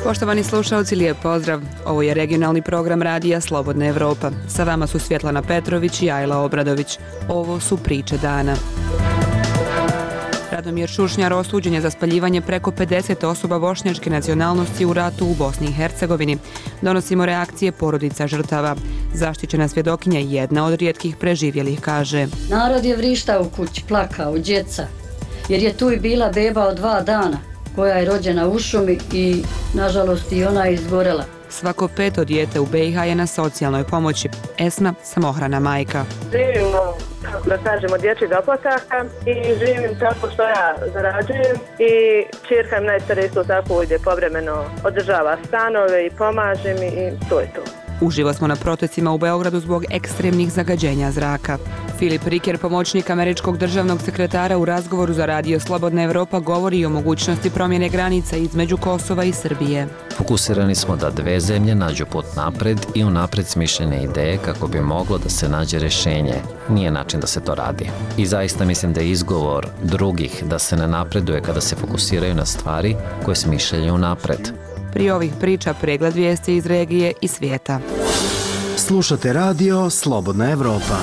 Poštovani slušalci, lijep pozdrav. Ovo je regionalni program radija Slobodna Evropa. Sa vama su Svjetlana Petrović i Ajla Obradović. Ovo su priče dana. Radomir Šušnjar osuđen je za spaljivanje preko 50 osoba bošnjačke nacionalnosti u ratu u Bosni i Hercegovini. Donosimo reakcije porodica žrtava. Zaštićena svjedokinja, jedna od rijetkih preživjelih, kaže: Narod je vrištao u kući, plakao, djeca, jer je tu i bila beba od 2 dana, koja je rođena u šumi i, nažalost, i ona je izgorela. Svako 5. dijete u BiH je na socijalnoj pomoći. Esma, samohrana majka. Živimo, kako da kažemo, dječjeg doplataka i živim tako što ja zarađujem i ćerka im najstarija isto tako ide povremeno, održava stanove i pomaže mi i to je to. Uživo smo na protestima u Beogradu zbog ekstremnih zagađenja zraka. Filip Riker, pomoćnik američkog državnog sekretara, u razgovoru za radio Slobodna Evropa govori o mogućnosti promjene granica između Kosova i Srbije. Fokusirani smo da dve zemlje nađu put napred i unapred smišljene ideje kako bi moglo da se nađe rješenje. Nije način da se to radi. I zaista mislim da je izgovor drugih da se ne napreduje kada se fokusiraju na stvari koje smišljaju napred. Prije ovih priča pregled vijesti iz regije i svijeta. Slušate radio Slobodna Evropa.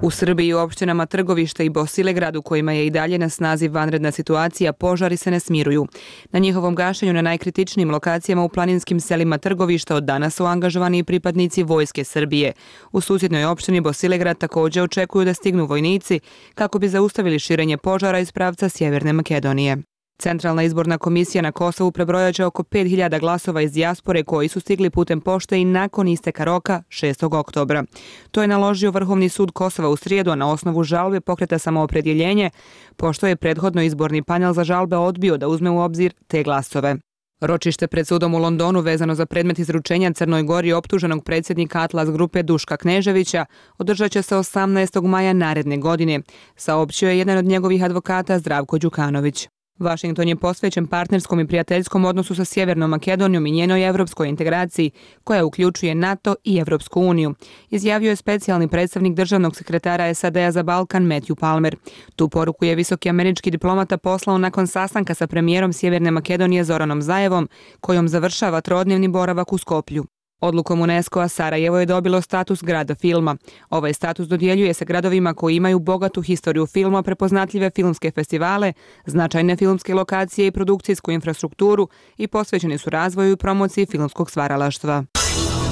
U Srbiji u opštinama Trgovište i Bosilegrad, u kojima je i dalje na snazi vanredna situacija, požari se ne smiruju. Na njihovom gašenju na najkritičnijim lokacijama u planinskim selima Trgovišta od danas su angažovani i pripadnici Vojske Srbije. U susjednoj opštini Bosilegrad također očekuju da stignu vojnici kako bi zaustavili širenje požara iz pravca Sjeverne Makedonije. Centralna izborna komisija na Kosovu prebrojaće oko 5000 glasova iz dijaspore koji su stigli putem pošte i nakon isteka roka 6. oktobra. To je naložio Vrhovni sud Kosova u srijedu, a na osnovu žalbe pokreta samoopredjeljenje, pošto je prethodno izborni panel za žalbe odbio da uzme u obzir te glasove. Ročište pred sudom u Londonu vezano za predmet izručenja Crnoj Gori optuženog predsjednika Atlas grupe Duška Kneževića održat će se 18. maja naredne godine, saopćio je jedan od njegovih advokata, Zdravko Đukanović. Washington je posvećen partnerskom i prijateljskom odnosu sa Sjevernom Makedonijom i njenoj evropskoj integraciji, koja uključuje NATO i Evropsku uniju, izjavio je specijalni predstavnik državnog sekretara SAD-a za Balkan Matthew Palmer. Tu poruku je visoki američki diplomata poslao nakon sastanka sa premijerom Sjeverne Makedonije Zoranom Zaevom, kojom završava 3-dnevni boravak u Skoplju. Odlukom UNESCO-a Sarajevo je dobilo status grada filma. Ovaj status dodjeljuje se gradovima koji imaju bogatu historiju filma, prepoznatljive filmske festivale, značajne filmske lokacije i produkcijsku infrastrukturu i posvećeni su razvoju i promociji filmskog stvaralaštva.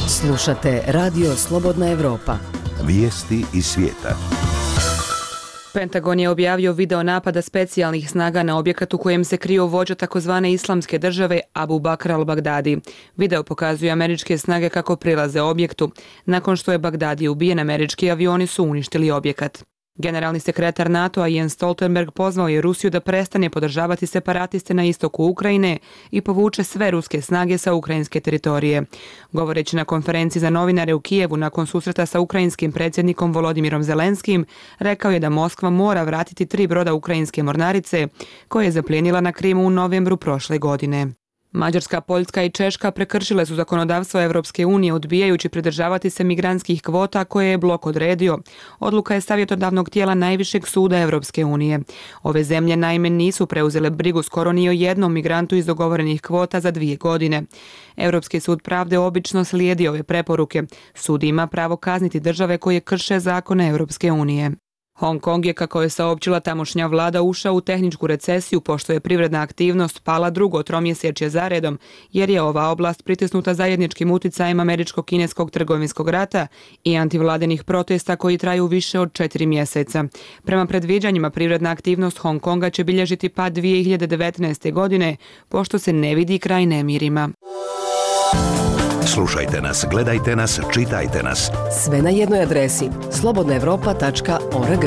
Slušate radio Slobodna Evropa. Vijesti iz svijeta. Pentagon je objavio video napada specijalnih snaga na objekat u kojem se krio vođa takozvane islamske države Abu Bakr al-Baghdadi. Video pokazuje američke snage kako prilaze objektu. Nakon što je Baghdadi ubijen, američki avioni su uništili objekat. Generalni sekretar NATO-a Jens Stoltenberg pozvao je Rusiju da prestane podržavati separatiste na istoku Ukrajine i povuče sve ruske snage sa ukrajinske teritorije. Govoreći na konferenciji za novinare u Kijevu nakon susreta sa ukrajinskim predsjednikom Volodimirom Zelenskim, rekao je da Moskva mora vratiti 3 broda ukrajinske mornarice koje je zaplijenila na Krimu u novembru prošle godine. Mađarska, Poljska i Češka prekršile su zakonodavstvo Evropske unije odbijajući pridržavati se migrantskih kvota koje je blok odredio. Odluka je savjetodavnog tijela najvišeg suda Evropske unije. Ove zemlje naime nisu preuzele brigu skoro ni o jednom migrantu iz dogovorenih kvota za 2 godine. Europski sud pravde obično slijedi ove preporuke. Sud ima pravo kazniti države koje krše zakone Evropske unije. Hong Kong je, kako je saopćila tamošnja vlada, ušao u tehničku recesiju pošto je privredna aktivnost pala 2. tromjesečje zaredom, jer je ova oblast pritisnuta zajedničkim uticajem američko-kineskog trgovinskog rata i antivladenih protesta koji traju više od 4 mjeseca. Prema predviđanjima, privredna aktivnost Hong Konga će bilježiti pad 2019. godine, pošto se ne vidi kraj nemirima. Slušajte nas, gledajte nas, čitajte nas. Sve na jednoj adresi slobodnaevropa.org.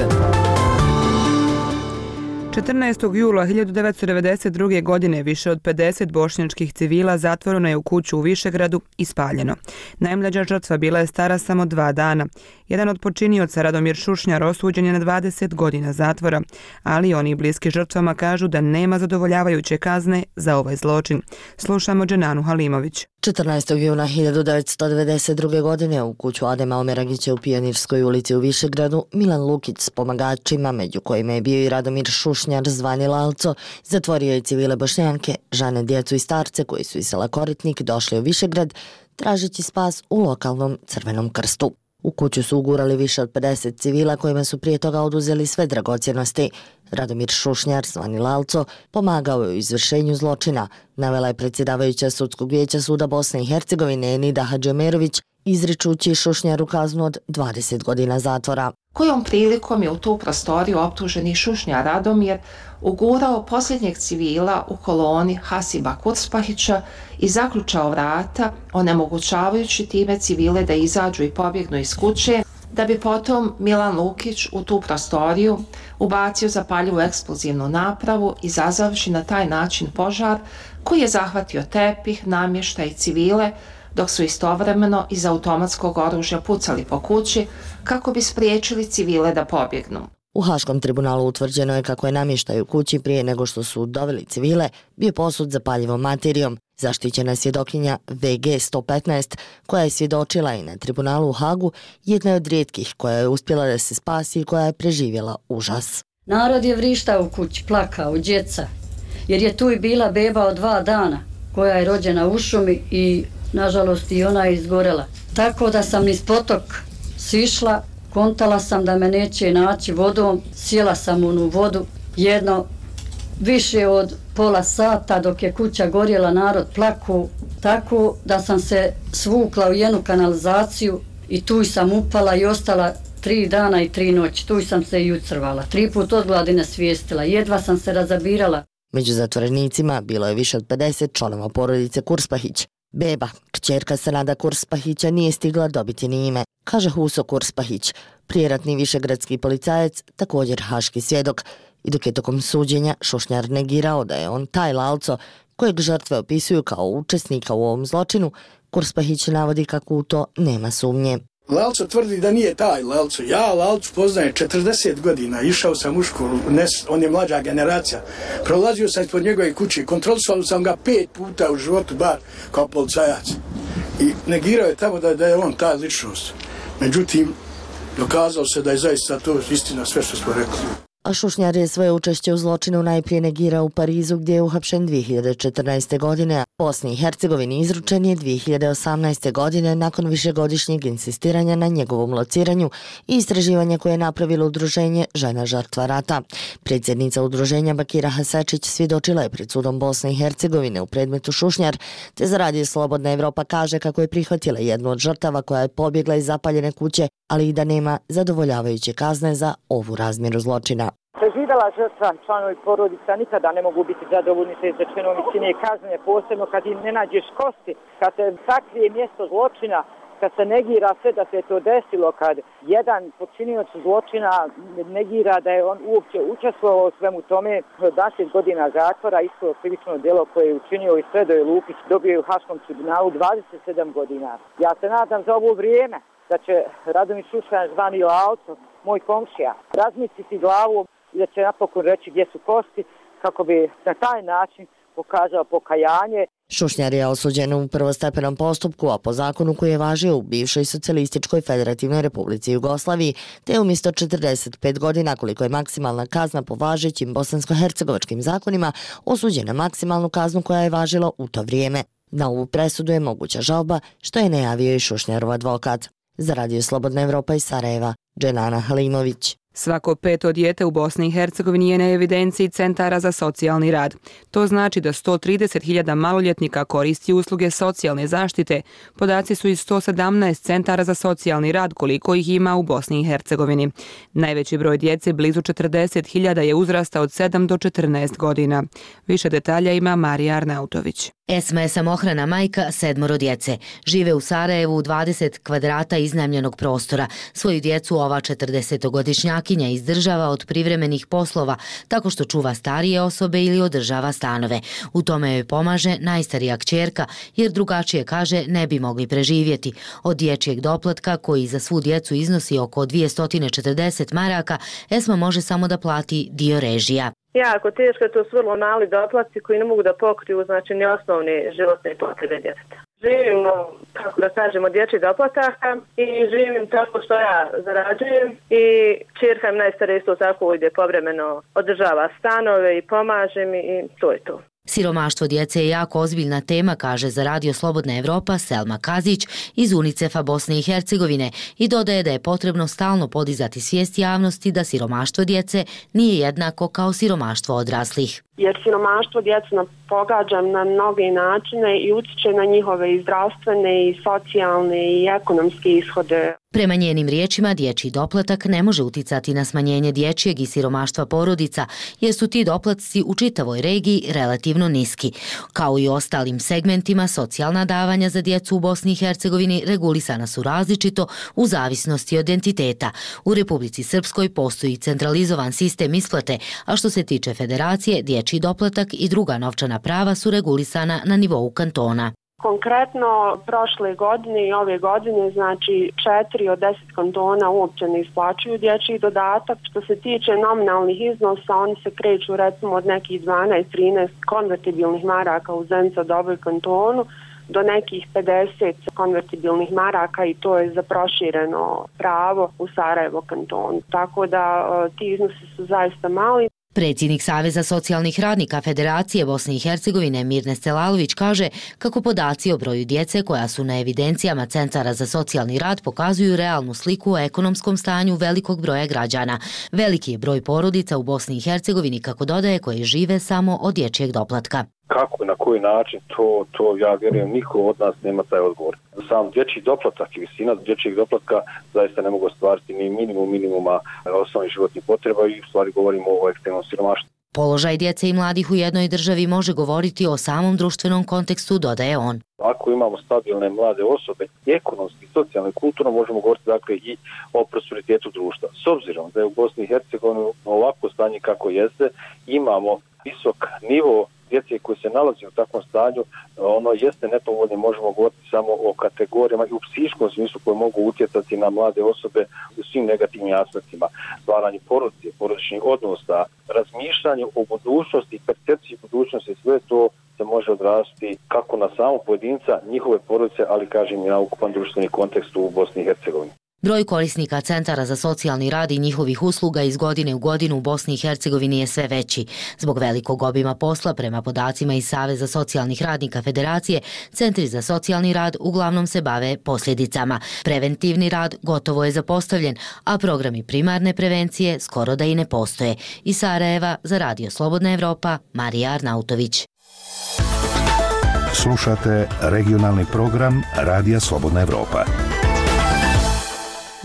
14. jula 1992. godine više od 50 bošnjačkih civila zatvoreno je u kuću u Višegradu i spaljeno. Najmlađa žrtva bila je stara samo 2 dana. Jedan od počinioca, Radomir Šušnjar, osuđen je na 20 godina zatvora, ali oni bliski žrtvama kažu da nema zadovoljavajuće kazne za ovaj zločin. Slušamo Dženanu Halimović. 14. juna 1992. godine u kuću Adema Omeragića u Pionirskoj ulici u Višegradu Milan Lukić s pomagačima, među kojima je bio i Radomir Šušnjar zvani Lalco, zatvorio je civile Bošnjanke, žene, djecu i starce koji su iz sela Koritnik došli u Višegrad tražeći spas u lokalnom Crvenom krstu. U kuću su ugurali više od 50 civila kojima su prije toga oduzeli sve dragocjenosti. Radomir Šušnjar, zvani Lalco, pomagao je u izvršenju zločina, navela je predsjedavajuća Sudskog vijeća Suda Bosne i Hercegovine Nida Hadžiomerović, izričući Šušnjaru kaznu od 20 godina zatvora. Kojom prilikom je u tu prostoriju optuženi Šušnjar Radomir ugurao posljednjeg civila u koloni Hasiba Kurspahića i zaključao vrata, onemogućavajući time civile da izađu i pobjegnu iz kuće, da bi potom Milan Lukić u tu prostoriju ubacio zapaljivu eksplozivnu napravu, izazavši na taj način požar koji je zahvatio tepih, namještaj i civile, dok su istovremeno iz automatskog oružja pucali po kući kako bi spriječili civile da pobjegnu. U Haškom tribunalu utvrđeno je kako je namještaj u kući prije nego što su doveli civile bio posut zapaljivom materijom. Zaštićena svjedokinja VG 115, koja je svjedočila i na tribunalu u Hagu, jedna je od rijetkih koja je uspjela da se spasi i koja je preživjela užas. Narod je vrištao u kući, plakao, djeca, jer je tu i bila beba od 2 dana koja je rođena u šumi i nažalost i ona je izgorela. Tako da sam niz potok sišla, kontala sam da me neće naći vodom, sjela sam u onu vodu jedno više od pola sata dok je kuća gorjela, narod plaku, tako da sam se svukla u jednu kanalizaciju i tu sam upala i ostala 3 dana i 3 noći. Tu sam se i ucrvala. 3 put od gladi nasvijestila, jedva sam se razabirala. Među zatvorenicima bilo je više od 50 članova porodice Kurspahić. Beba, kćerka Senada Kurspahića, nije stigla dobiti ni ime, kaže Huso Kurspahić, prijeratni višegradski policajac, također haški svjedok. I dok je tokom suđenja Šušnjar negirao da je on taj Lalco, kojeg žrtve opisuju kao učesnika u ovom zločinu, Kurspahić navodi kako u to nema sumnje. Lalco tvrdi da nije taj Lalco. Ja Lalcu poznajem 40 godina, išao sam u školu, on je mlađa generacija. Prolazio sam ispod njegove kuće, kontrolisao sam ga 5 puta u životu, bar kao policajac. I negirao je tamo da je on ta ličnost. Međutim, dokazao se da je zaista to istina sve što smo rekli. A Šušnjar je svoje učešće u zločinu najprije negirao u Parizu, gdje je uhapšen 2014. godine, a Bosni i Hercegovini izručen je 2018. godine nakon višegodišnjeg insistiranja na njegovom lociranju i istraživanja koje je napravilo udruženje Žena žrtva rata. Predsjednica udruženja Bakira Hasečić svjedočila je pred sudom Bosne i Hercegovine u predmetu Šušnjar, te za Radio Slobodna Evropa kaže kako je prihvatila jednu od žrtava koja je pobjegla iz zapaljene kuće, ali i da nema zadovoljavajuće kazne za ovu razmjeru zločina. Preživjela žrtva, članovi porodica nikada ne mogu biti zadovoljni sa izrečenom visine kazne, posebno kad im ne nađeš kosti, kad se sakrije mjesto zločina, kad se negira sve da se to desilo, kad jedan počinioc zločina negira da je on uopće učestvovao u svemu tome. 20 godina zatvora, isto krivično djelo koje je učinio i Sredoje Lukić, dobio je u Haškom tribunalu 27 godina. Ja se nadam za ovo vrijeme da će Radomir Šušnjar zvani Lalco, moj komšija, razmisliti glavu i da će napokon reći gdje su kosti kako bi na taj način pokazao pokajanje. Šušnjar je osuđen u prvostepenom postupku, a po zakonu koji je važio u bivšoj socijalističkoj federativnoj republici Jugoslaviji, te umjesto 45 godina, koliko je maksimalna kazna po važećim bosansko-hercegovačkim zakonima, osuđen na maksimalnu kaznu koja je važila u to vrijeme. Na ovu presudu je moguća žalba, što je najavio i Šušnjarov advokat. Za Radio Slobodna Evropa iz Sarajeva, Dženana Halimović. Svako 5. dijete u Bosni i Hercegovini je na evidenciji centara za socijalni rad. To znači da 130.000 maloljetnika koristi usluge socijalne zaštite. Podaci su iz 117 centara za socijalni rad koliko ih ima u Bosni i Hercegovini. Najveći broj djece, blizu 40.000, je uzrasta od 7 do 14 godina. Više detalja ima Marija Arnautović. Esma je samohrana majka 7 djece. Žive u Sarajevu u 20 kvadrata iznajmljenog prostora. Svoju djecu ova 40-godišnjakinja izdržava od privremenih poslova tako što čuva starije osobe ili održava stanove. U tome joj pomaže najstarija kćerka jer drugačije, kaže, ne bi mogli preživjeti. Od dječjeg doplatka koji za svu djecu iznosi oko 240 maraka, Esma može samo da plati dio režija. jako teško, to su vrlo mali doplatci koji ne mogu da pokriju znači ni osnovne životne potrebe djeteta. Živim, kako da kažemo, dječjih doplataka i živim tako što ja zarađujem i ćerka im najstarija isto tako ide povremeno, održava stanove i pomaže mi i to je to. Siromaštvo djece je jako ozbiljna tema, kaže za Radio Slobodna Evropa Selma Kazić iz UNICEF-a Bosne i Hercegovine i dodaje da je potrebno stalno podizati svijest javnosti da siromaštvo djece nije jednako kao siromaštvo odraslih. Jer siromaštvo djece pogađa na mnoge načine i utiče na njihove i zdravstvene i socijalne i ekonomske ishode. Prema njenim riječima, dječji doplatak ne može uticati na smanjenje dječjeg i siromaštva porodica, jer su ti doplatci u čitavoj regiji relativno niski. Kao i u ostalim segmentima, socijalna davanja za djecu u Bosni i Hercegovini regulisana su različito u zavisnosti od entiteta. U Republici Srpskoj postoji centralizovan sistem isplate, a što se tiče federacije, dječji doplatak i druga novčana prava su regulisana na nivou kantona. Konkretno, prošle godine i ove godine, znači 4 od 10 kantona uopće ne isplaćuju dječji dodatak. Što se tiče nominalnih iznosa, oni se kreću recimo od nekih 12-13 konvertibilnih maraka u Zenica Doboj kantonu do nekih 50 konvertibilnih maraka i to je za prošireno pravo u Sarajevo kantonu. Tako da ti iznosi su zaista mali. Predsjednik Saveza socijalnih radnika Federacije Bosne i Hercegovine Mirne Stelalović kaže kako podaci o broju djece koja su na evidencijama centara za socijalni rad pokazuju realnu sliku o ekonomskom stanju velikog broja građana. Veliki je broj porodica u Bosni i Hercegovini, kako dodaje, koje žive samo od dječjeg doplatka. Kako i na koji način, to ja vjerujem niko od nas nema taj odgovor. Sam dječji doplatak i visina dječjeg doplatka zaista ne mogu ostvariti ni minimuma osnovnih životnih potreba i u stvari govorimo o ekstremnom siromaštvu. Položaj djece i mladih u jednoj državi može govoriti o samom društvenom kontekstu, dodaje on. Ako imamo stabilne mlade osobe, ekonomski, socijalno i kulturno, možemo govoriti dakle i o prosperitetu društva. S obzirom da je u Bosni i Hercegovini ovako stanje kako jeste, imamo visok nivo djece koji se nalazi u takvom stanju, ono jeste nepovoljno, možemo govoriti samo o kategorijama i u psihičkom smislu koje mogu utjecati na mlade osobe u svim negativnim aspektima. Stvaranje porodice, porodičnih odnosa, razmišljanje o budućnosti, percepciji budućnosti, sve to se može odraziti kako na samog pojedinca, njihove porodice, ali kažem i na ukupan društveni kontekst u Bosni i Hercegovini. Broj korisnika centara za socijalni rad i njihovih usluga iz godine u godinu u Bosni i Hercegovini je sve veći. Zbog velikog obima posla, prema podacima iz Saveza socijalnih radnika Federacije, centri za socijalni rad uglavnom se bave posljedicama. Preventivni rad gotovo je zapostavljen, a programi primarne prevencije skoro da i ne postoje. Iz Sarajeva za Radio Slobodna Evropa, Marija Arnautović. Slušate regionalni program Radija Slobodna Evropa.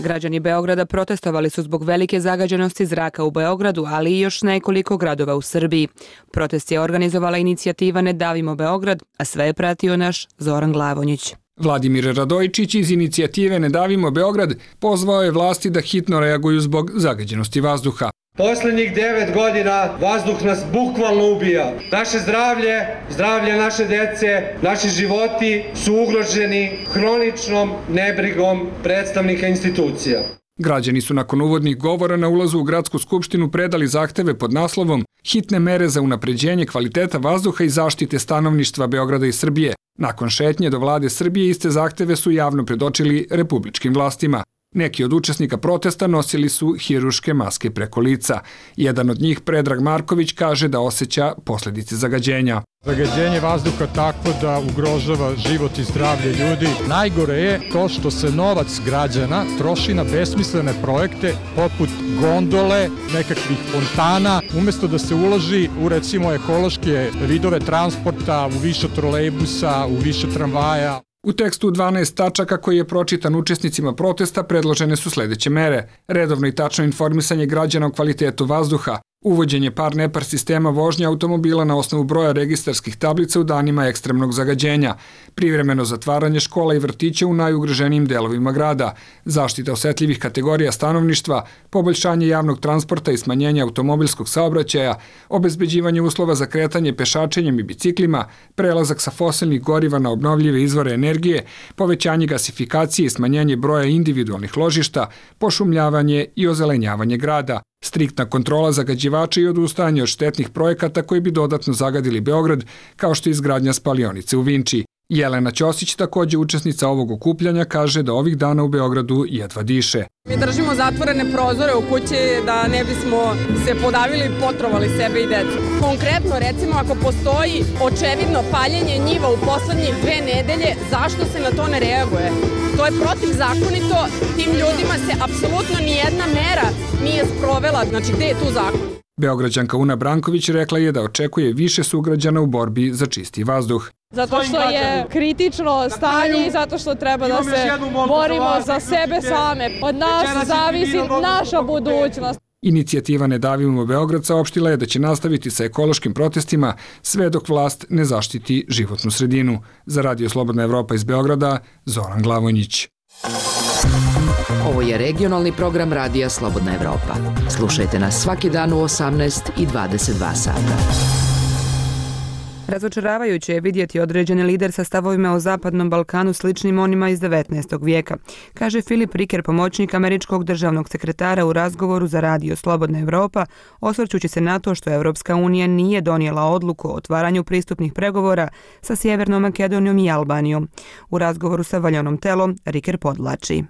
Građani Beograda protestovali su zbog velike zagađenosti zraka u Beogradu, ali i još nekoliko gradova u Srbiji. Protest je organizovala inicijativa Ne davimo Beograd, a sve je pratio naš Zoran Glavonjić. Vladimir Radojčić iz inicijative Ne davimo Beograd pozvao je vlasti da hitno reaguju zbog zagađenosti vazduha. Posljednjih 9 godina vazduh nas bukvalno ubija. Naše zdravlje, zdravlje naše djece, naši životi su ugroženi hroničnom nebrigom predstavnika institucija. Građani su nakon uvodnih govora na ulazu u Gradsku skupštinu predali zahteve pod naslovom Hitne mere za unapređenje kvaliteta vazduha i zaštite stanovništva Beograda i Srbije. Nakon šetnje do vlade Srbije iste zahteve su javno predočili republičkim vlastima. Neki od učesnika protesta nosili su hiruške maske preko lica. Jedan od njih, Predrag Marković, kaže da osjeća posljedice zagađenja. Zagađenje vazduha takvo da ugrožava život i zdravlje ljudi. Najgore je to što se novac građana troši na besmislene projekte poput gondole, nekakvih fontana, umjesto da se uloži u recimo ekološke vidove transporta, u više trolejbusa, u više tramvaja. U tekstu 12 tačaka koji je pročitan učesnicima protesta predložene su sljedeće mere. Redovno i tačno informisanje građana o kvalitetu vazduha, uvođenje par-nepar sistema vožnje automobila na osnovu broja registarskih tablica u danima ekstremnog zagađenja, privremeno zatvaranje škola i vrtića u najugroženijim delovima grada, zaštita osetljivih kategorija stanovništva, poboljšanje javnog transporta i smanjenje automobilskog saobraćaja, obezbeđivanje uslova za kretanje pešačenjem i biciklima, prelazak sa fosilnih goriva na obnovljive izvore energije, povećanje gasifikacije i smanjenje broja individualnih ložišta, pošumljavanje i ozelenjavanje grada, striktna kontrola zagađivača i odustajanje od štetnih projekata koji bi dodatno zagadili Beograd, kao što je izgradnja spalionice u Vinči. Jelena Ćosić, također učesnica ovog okupljanja, kaže da ovih dana u Beogradu jedva diše. Mi držimo zatvorene prozore u kući da ne bismo se podavili i potrovali sebe i decu. Konkretno, recimo, ako postoji očevidno paljenje njiva u poslednjih 2 nedelje, zašto se na to ne reaguje? To je protivzakonito, tim ljudima se apsolutno nijedna mera nije sprovela, znači gde je tu zakon? Beograđanka Una Branković rekla je da očekuje više sugrađana u borbi za čisti vazduh. Zato što je kritično stanje i zato što treba da se borimo za sebe same. Od nas zavisi naša budućnost. Inicijativa Ne davimo Beograd saopštila je da će nastaviti sa ekološkim protestima sve dok vlast ne zaštiti životnu sredinu. Za Radio Slobodna Evropa iz Beograda, Zoran Glavonjić. Ovo je regionalni program Radija Slobodna Evropa. Slušajte nas svaki dan u 18 i 22 sata. Razočaravajuće je vidjeti određeni lider sa stavovima o Zapadnom Balkanu sličnim onima iz 19. vijeka, kaže Filip Riker, pomoćnik američkog državnog sekretara u razgovoru za Radio Slobodna Evropa, osvrćući se na to što Evropska unija nije donijela odluku o otvaranju pristupnih pregovora sa Sjevernom Makedonijom i Albanijom. U razgovoru sa Valjanom Telom, Riker podlači.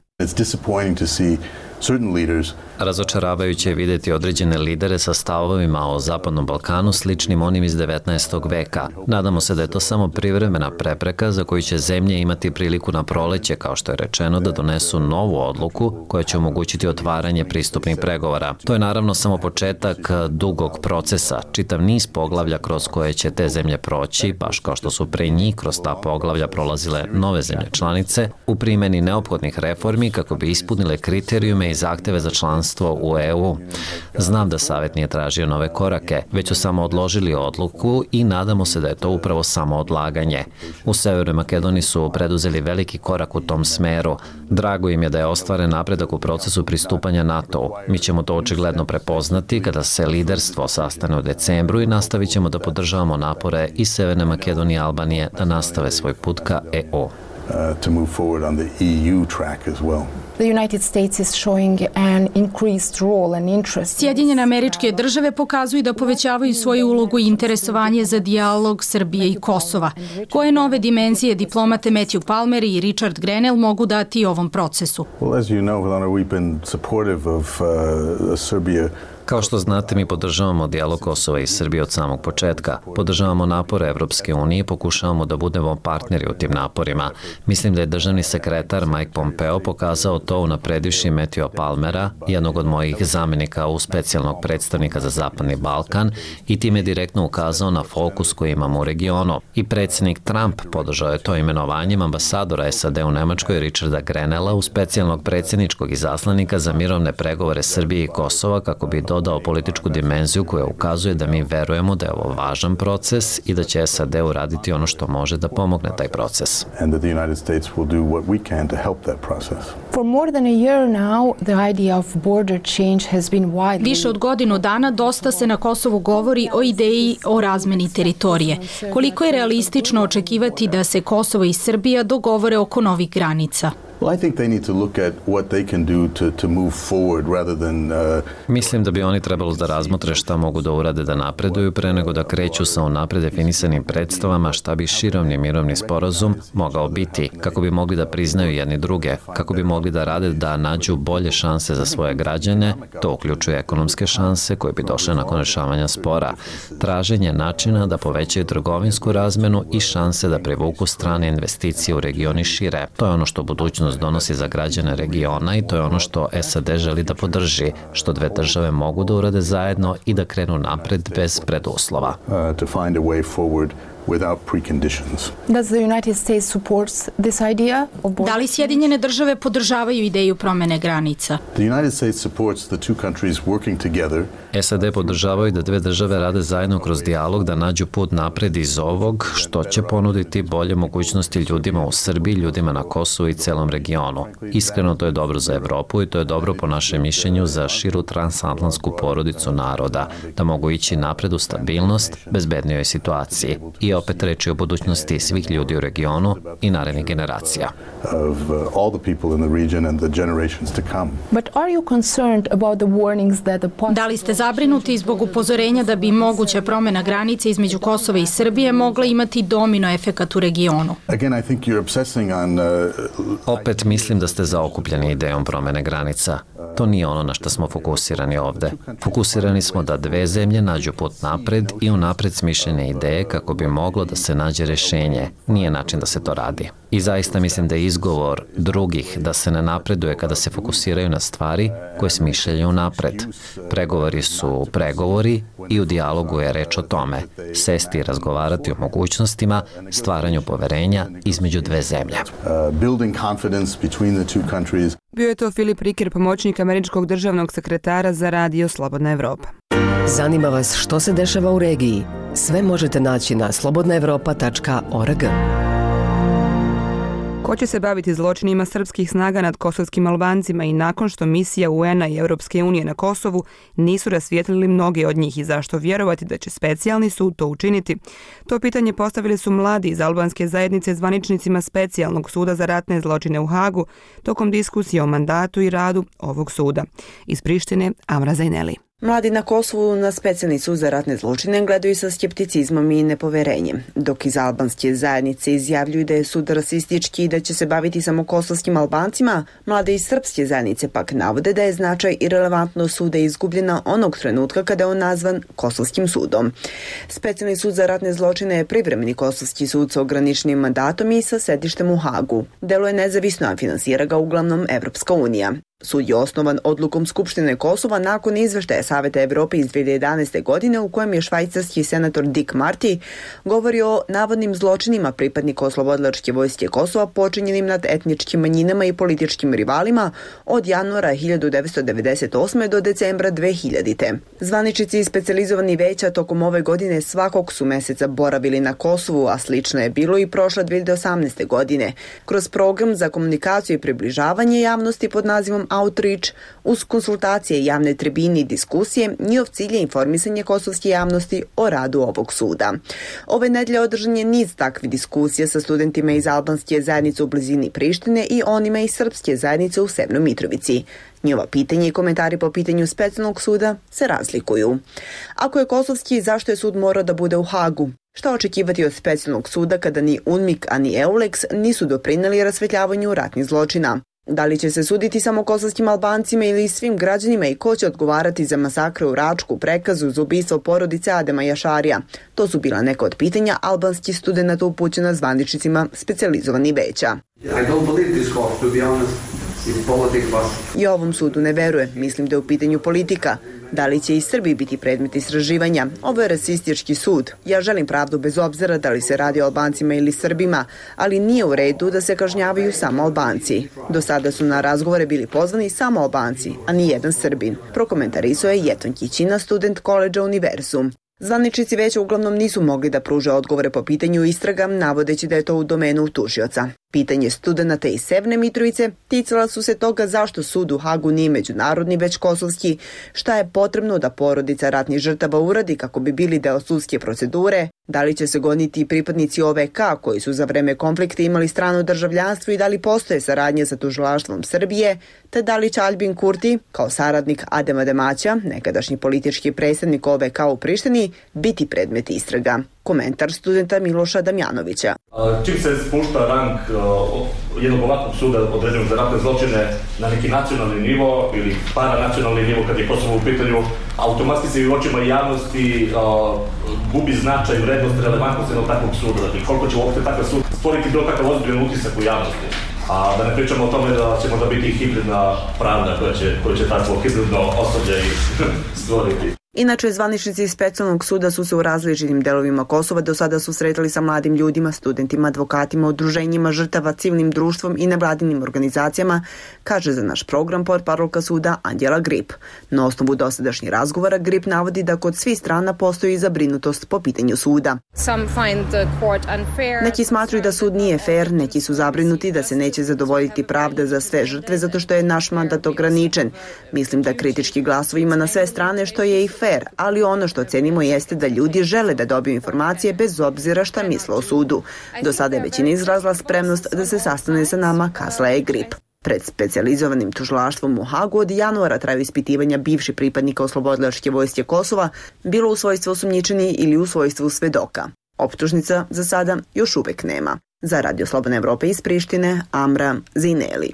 Razočaravajuće je vidjeti određene lidere sa stavovima o Zapadnom Balkanu sličnim onim iz 19. veka. Nadamo se da je to samo privremena prepreka za koju će zemlje imati priliku na proleće, kao što je rečeno, da donesu novu odluku koja će omogućiti otvaranje pristupnih pregovora. To je naravno samo početak dugog procesa, čitav niz poglavlja kroz koje će te zemlje proći, baš kao što su pre njih kroz ta poglavlja prolazile nove zemlje članice, u primjeni neophodnih reformi kako bi ispunile kriterijume i zahteve za članstvo u EU. Znam da Savjet nije tražio nove korake, već su samo odložili odluku i nadamo se da je to upravo samo odlaganje. U Severnoj Makedoniji su preduzeli veliki korak u tom smeru. Drago im je da je ostvaren napredak u procesu pristupanja NATO-u. Mi ćemo to očigledno prepoznati kada se liderstvo sastane u decembru i nastavit ćemo da podržavamo napore i Severne Makedonije i Albanije da nastave svoj put ka EU. To move forward on the EU track as well. The United States is showing an increased role and interest. Sjedinjene Američke Države pokazuju da povećavaju svoju ulogu i interesovanje za dijalog Srbije i Kosova. Koje nove dimenzije diplomate Matthew Palmer i Richard Grenell mogu dati ovom procesu? Well, as you know, Helena, we've been supportive of Serbia. Kao što znate, mi podržavamo dijalog Kosova i Srbije od samog početka. Podržavamo napore Evropske unije i pokušavamo da budemo partneri u tim naporima. Mislim da je državni sekretar Mike Pompeo pokazao to unapredivši Matthewa Palmera, jednog od mojih zamjenika u specijalnog predstavnika za Zapadni Balkan, i time direktno ukazao na fokus koji imamo u regionu. I predsjednik Trump podržao je to imenovanjem ambasadora SAD u Nemačkoj Richarda Grenella u specijalnog predsjedničkog izaslanika za mirovne pregovore Srbije i Kosova kako bi dodao političku dimenziju koja ukazuje da mi verujemo da je ovo važan proces i da će SAD uraditi ono što može da pomogne taj proces. Više od godinu dana dosta se na Kosovu govori o ideji o razmeni teritorije. Koliko je realistično očekivati da se Kosovo i Srbija dogovore oko novih granica? Mislim da bi oni trebalo da razmotre šta mogu da urade da napreduju pre nego da kreću sa unapred definisanim predstavama šta bi širovni mirovni sporazum mogao biti, kako bi mogli da priznaju jedni druge, kako bi mogli da rade da nađu bolje šanse za svoje građane, to uključuje ekonomske šanse koje bi došle nakon rešavanja spora, traženje načina da povećaju trgovinsku razmenu i šanse da privuku strane investicije u regioni šire. To je ono što budućnost donosi za građane regiona i to je ono što SAD želi da podrži, što dve države mogu da urade zajedno i da krenu napred bez preduslova. Da li Sjedinjene Države podržavaju ideju promene granica? The United States supports the two countries working together SAD podržavaju da dve države rade zajedno kroz dijalog da nađu put napred iz ovog, što će ponuditi bolje mogućnosti ljudima u Srbiji, ljudima na Kosovu i celom regionu. Iskreno, to je dobro za Evropu i to je dobro po našem mišljenju za širu transatlantsku porodicu naroda, da mogu ići napred u stabilnost, bezbednijoj situaciji. I opet reči o budućnosti svih ljudi u regionu i narednih generacija. Da li ste zabrinuti zbog upozorenja da bi moguća promjena granice između Kosova i Srbije mogla imati domino efekat u regionu? Opet mislim da ste zaokupljeni idejom promjene granica. To nije ono na što smo fokusirani ovde. Fokusirani smo da dve zemlje nađu put napred i unapred smišljene ideje kako bi moglo da se nađe rešenje. Nije način da se to radi. I zaista mislim da je izgovor drugih da se ne napreduje kada se fokusiraju na stvari koje smišljaju napred. Pregovori su pregovori i u dijalogu je reč o tome. Sesti i razgovarati o mogućnostima, stvaranju poverenja između dve zemlje. Bio je to Filip Riker, pomoćnik američkog državnog sekretara za Radio Slobodna Evropa. Zanima vas što se dešava u regiji? Sve možete naći na slobodnaevropa.org. Ko će se baviti zločinima srpskih snaga nad kosovskim Albancima i nakon što misija UN-a i Europske unije na Kosovu nisu rasvijetlili mnoge od njih i zašto vjerovati da će specijalni sud to učiniti? To pitanje postavili su mladi iz albanske zajednice zvaničnicima specijalnog suda za ratne zločine u Hagu tokom diskusije o mandatu i radu ovog suda. Iz Prištine, Amra Zajneli. Mladi na Kosovu na specijalni sud za ratne zločine gledaju sa skepticizmom i nepoverenjem, dok iz albanske zajednice izjavljuju da je sud rasistički i da će se baviti samo kosovskim Albancima, mlade iz srpske zajednice pak navode da je značaj i relevantnost suda izgubljena onog trenutka kada je on nazvan Kosovskim sudom. Specijalni sud za ratne zločine je privremeni kosovski sud sa ograničenim mandatom i sa sedištem u Hagu. Deluje nezavisno, a finansira ga uglavnom Evropska unija. Sud je osnovan odlukom Skupštine Kosova nakon izveštaja Saveta Evrope iz 2011. godine u kojem je švajcarski senator Dick Marty govorio o navodnim zločinima pripadnika oslobodilačke vojske Kosova počinjenim nad etničkim manjinama i političkim rivalima od januara 1998. do decembra 2000. Zvaničnici i specijalizovani veća tokom ove godine svakog su meseca boravili na Kosovu, a slično je bilo i prošle 2018. godine, kroz program za komunikaciju i približavanje javnosti pod nazivom Outreach, uz konsultacije, javne tribine i diskusije, njihov cilj je informisanje kosovske javnosti o radu ovog suda. Ove nedelje održan je niz takvih diskusija sa studentima iz albanske zajednice u blizini Prištine i onima iz srpske zajednice u Severnoj Mitrovici. Njihova pitanja i komentari po pitanju specijalnog suda se razlikuju. Ako je kosovski, zašto je sud morao da bude u Hagu? Šta očekivati od specijalnog suda kada ni UNMIK, a ni EULEX nisu doprineli rasvetljavanju ratnih zločina? Da li će se suditi samo kosovskim Albancima ili svim građanima i ko će odgovarati za masakre u Račku, Prekazu, za ubistvo porodice Adema Jašarija? To su bila neka od pitanja albanskih studenata upućena zvaničnicima specijalizovanih veća. I ovom sudu ne veruje, mislim da je u pitanju politika. Da li će i Srbiji biti predmet istraživanja? Ovo je rasistički sud. Ja želim pravdu bez obzira da li se radi o Albancima ili Srbima, ali nije u redu da se kažnjavaju samo Albanci. Do sada su na razgovore bili pozvani samo Albanci, a ni jedan Srbin. Prokomentarisao je Jeton Kićina, student koledža Univerzum. Zvaničnici veća uglavnom nisu mogli da pruže odgovore po pitanju istraga, navodeći da je to u domenu tužioca. Pitanje studenata iz Severne Mitrovice ticala su se toga zašto sud u Hagu nije međunarodni već kosovski, šta je potrebno da porodica ratnih žrtava uradi kako bi bili deo sudske procedure, da li će se goniti pripadnici OVK koji su za vreme konflikta imali strano državljanstvo i da li postoje saradnje sa tužilaštvom Srbije, te da li će Aljbin Kurti, kao saradnik Adema Demaća, nekadašnji politički predstavnik OVK u Prištini, biti predmet istraga. Komentar studenta Miloša Damjanovića. Čim se spušta rang jednog ovakvog suda određenog za ratne zločine na neki nacionalni nivo ili paranacionalni nivo kad je Kosovo u pitanju, automatski se i u očima javnosti gubi značaj, vrednost, relevantnost jednog takvog suda. Dakle, koliko će uopšte takav sud stvoriti bilo takav ozbiljan utisak u javnosti. A da ne pričamo o tome da će možda biti hibridna pravda koja će takvo hibridno osođe stvoriti. Inače, zvaničnici iz specijalnog suda su se u različitim delovima Kosova do sada susretali sa mladim ljudima, studentima, advokatima, udruženjima žrtava, civilnim društvom i nevladinim organizacijama, kaže za naš program portparolka suda Anđela Grip. Na osnovu dosadašnjih razgovora Grip navodi da kod svih strana postoji zabrinutost po pitanju suda. Neki smatruju da sud nije fair, neki su zabrinuti da se neće zadovoljiti pravda za sve žrtve zato što je naš mandat ograničen. Mislim da kritički glasovi ima na sve strane što je i fair, ali ono što cenimo jeste da ljudi žele da dobiju informacije bez obzira šta misle o sudu. Do sada je većina izrazila spremnost da se sastane sa nama, kazala je Grip. Pred specijalizovanim tužilaštvom u Hagu od januara traju ispitivanja bivših pripadnika Oslobodilačke vojske Kosova, bilo u svojstvu osumnjičeni ili u svojstvu svedoka. Optužnica za sada još uvek nema. Za Radio Slobodna Evropa iz Prištine, Amra Zineli.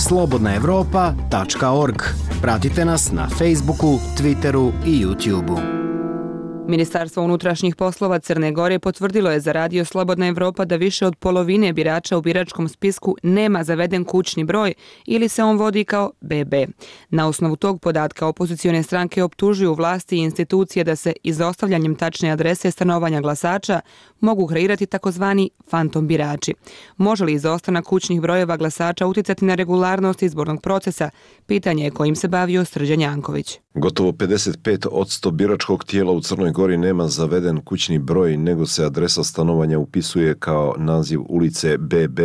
slobodnaevropa.org. Pratite nas na Facebooku, Twitteru i YouTubeu. Ministarstvo unutrašnjih poslova Crne Gore potvrdilo je za Radio Slobodna Evropa da više od polovine birača u biračkom spisku nema zaveden kućni broj ili se on vodi kao BB. Na osnovu tog podatka opozicione stranke optužuju vlasti i institucije da se izostavljanjem tačne adrese stanovanja glasača mogu kreirati takozvani fantom birači. Može li izostanak kućnih brojeva glasača uticati na regularnost izbornog procesa? Pitanje je kojim se bavio Srđan Janković. Gotovo 55% biračkog tijela u Crnoj Gori nema zaveden kućni broj, nego se adresa stanovanja upisuje kao naziv ulice BB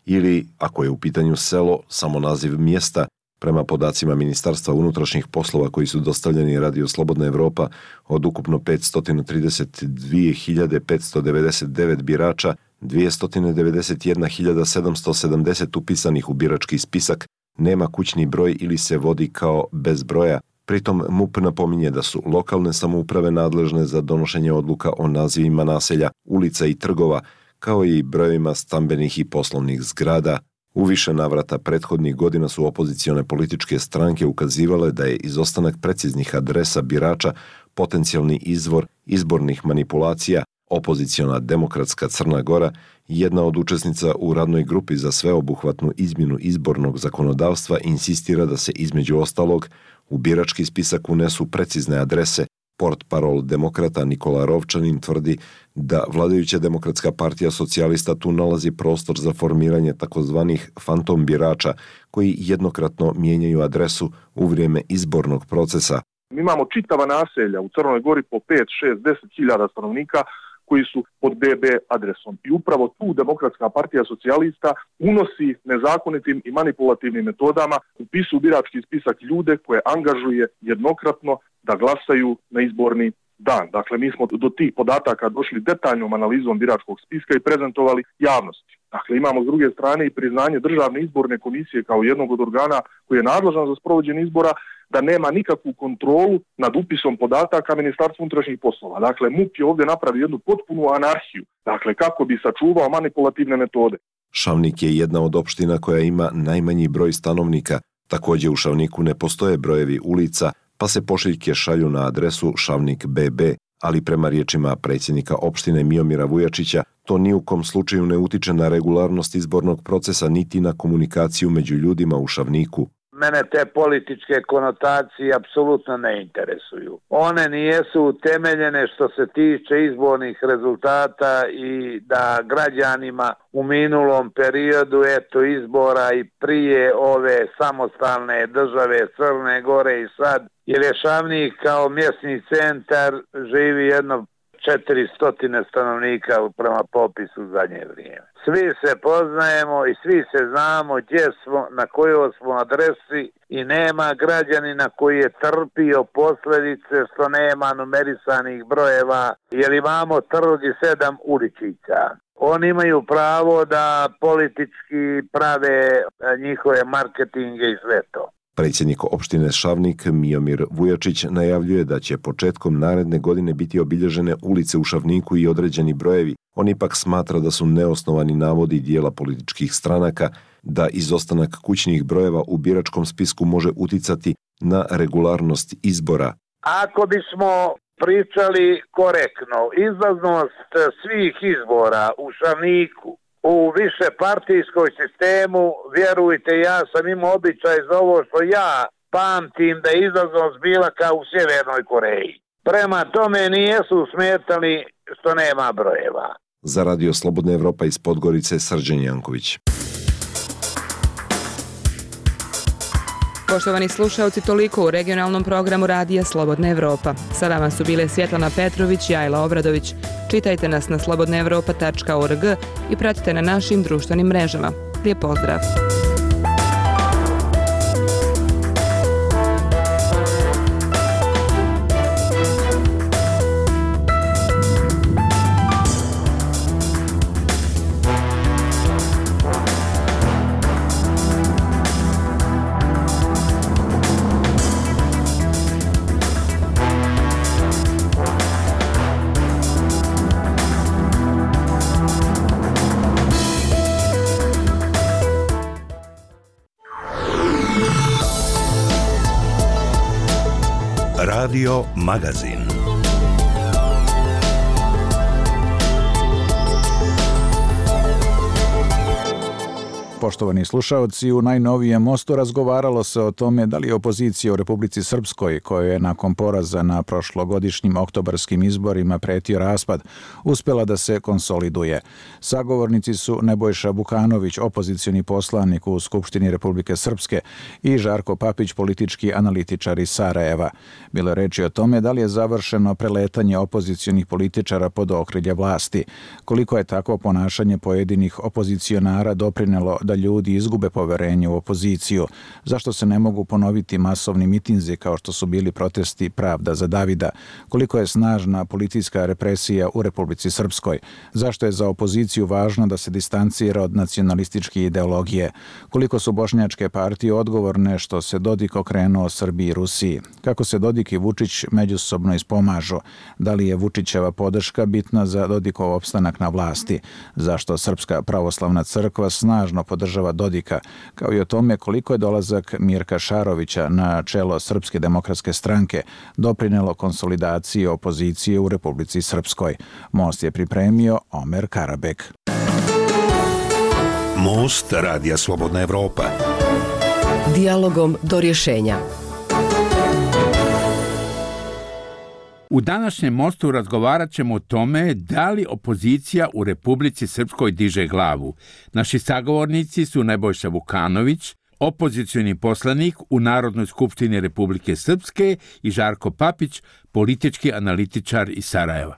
ili, ako je u pitanju selo, samo naziv mjesta. Prema podacima Ministarstva unutrašnjih poslova koji su dostavljeni Radio Slobodna Evropa, od ukupno 532.599 birača, 291.770 upisanih u birački spisak nema kućni broj ili se vodi kao bez broja. Pritom MUP napominje da su lokalne samouprave nadležne za donošenje odluka o nazivima naselja, ulica i trgova, kao i brojevima stambenih i poslovnih zgrada. U više navrata prethodnih godina su opozicione političke stranke ukazivale da je izostanak preciznih adresa birača potencijalni izvor izbornih manipulacija. Opoziciona Demokratska Crna Gora, jedna od učesnica u radnoj grupi za sveobuhvatnu izmjenu izbornog zakonodavstva, insistira da se između ostalog u birački spisak unesu precizne adrese. Portparol demokrata Nikola Rovčanin tvrdi da vladajuća Demokratska partija socijalista tu nalazi prostor za formiranje takozvanih fantom birača koji jednokratno mijenjaju adresu u vrijeme izbornog procesa. Mi imamo čitava naselja u Crnoj Gori po 5, 6, 10 hiljada stanovnika koji su pod BB adresom. I upravo tu Demokratska partija socijalista unosi nezakonitim i manipulativnim metodama upisu birački spisak ljude koje angažuje jednokratno da glasaju na izborni dan. Dakle, mi smo do tih podataka došli detaljnom analizom biračkog spiska i prezentovali javnosti. Dakle, imamo s druge strane i priznanje Državne izborne komisije kao jednog od organa koji je nadležan za sprovođenje izbora da nema nikakvu kontrolu nad upisom podataka Ministarstva unutrašnjih poslova. Dakle, MUP je ovdje napravio jednu potpunu anarhiju, dakle, kako bi sačuvao manipulativne metode. Šavnik je jedna od opština koja ima najmanji broj stanovnika. Također u Šavniku ne postoje brojevi ulica, pa se pošiljke šalju na adresu Šavnik BB, ali prema riječima predsjednika opštine Miomira Vujačića, to ni u kom slučaju ne utiče na regularnost izbornog procesa niti na komunikaciju među ljudima u Šavniku. Mene te političke konotacije apsolutno ne interesuju. One nijesu utemeljene što se tiče izbornih rezultata i da građanima u minulom periodu izbora i prije ove samostalne države Crne Gore i sad, jer je Šavnik kao mjesni centar živi jedno 400 stanovnika prema popisu u zadnje vrijeme. Svi se poznajemo i svi se znamo gdje smo, na kojoj smo adresi i nema građanina koji je trpio posljedice što nema numerisanih brojeva, jer imamo trg i 7 uličića. Oni imaju pravo da politički prave njihove marketinge i sve to. Predsjednik opštine Šavnik Miomir Vujačić najavljuje da će početkom naredne godine biti obilježene ulice u Šavniku i određeni brojevi. On ipak smatra da su neosnovani navodi dijela političkih stranaka da izostanak kućnih brojeva u biračkom spisku može uticati na regularnost izbora. Ako bismo pričali korektno, izlaznost svih izbora u Šavniku u višepartijskoj sistemu, vjerujte, ja sam imao običaj za ovo što ja pamtim da je izlaznost bila kao u Sjevernoj Koreji. Prema tome nijesu smetali što nema brojeva. Za Radio Slobodna Evropa iz Podgorice, Srđan Janković. Poštovani slušaoci, toliko u regionalnom programu Radija Slobodna Evropa. Sa vama su bile Svjetlana Petrović i Ajla Obradović. Čitajte nas na slobodnaevropa.org i pratite na našim društvenim mrežama. Lijep pozdrav! Radio Magazin. Poštovani slušaoci, u najnovijem Mostu razgovaralo se o tome da li je opozicija u Republici Srpskoj, koja je nakon poraza na prošlogodišnjim oktobarskim izborima pretio raspad, uspela da se konsoliduje. Sagovornici su Nebojša Vukanović, opozicioni poslanik u Skupštini Republike Srpske, i Žarko Papić, politički analitičar iz Sarajeva. Bilo je reči o tome da li je završeno preletanje opozicionih političara pod okrilje vlasti, koliko je takvo ponašanje pojedinih opozicionara doprinelo da ljudi izgube poverenje u opoziciju, zašto se ne mogu ponoviti masovni mitinzi kao što su bili protesti Pravda za Davida, koliko je snažna policijska represija u Republici Srpskoj, zašto je za opoziciju važno da se distancira od nacionalističke ideologije, koliko su bošnjačke partije odgovorne što se Dodik okrenuo Srbiji i Rusiji, kako se Dodik i Vučić međusobno ispomažu, da li je Vučićeva podrška bitna za Dodikov opstanak na vlasti, zašto Srpska pravoslavna crkva snažno podržava Dodika, kao i o tome koliko je dolazak Mirka Šarovića na čelo Srpske demokratske stranke doprinelo konsolidaciji opozicije u Republici Srpskoj. Most je pripremio Omer Karabek. Most Radija Slobodna Evropa. Dijalogom do rješenja. U današnjem Mostu razgovarat ćemo o tome da li opozicija u Republici Srpskoj diže glavu. Naši sagovornici su Nebojša Vukanović, opozicioni poslanik u Narodnoj skupštini Republike Srpske, i Žarko Papić, politički analitičar iz Sarajeva.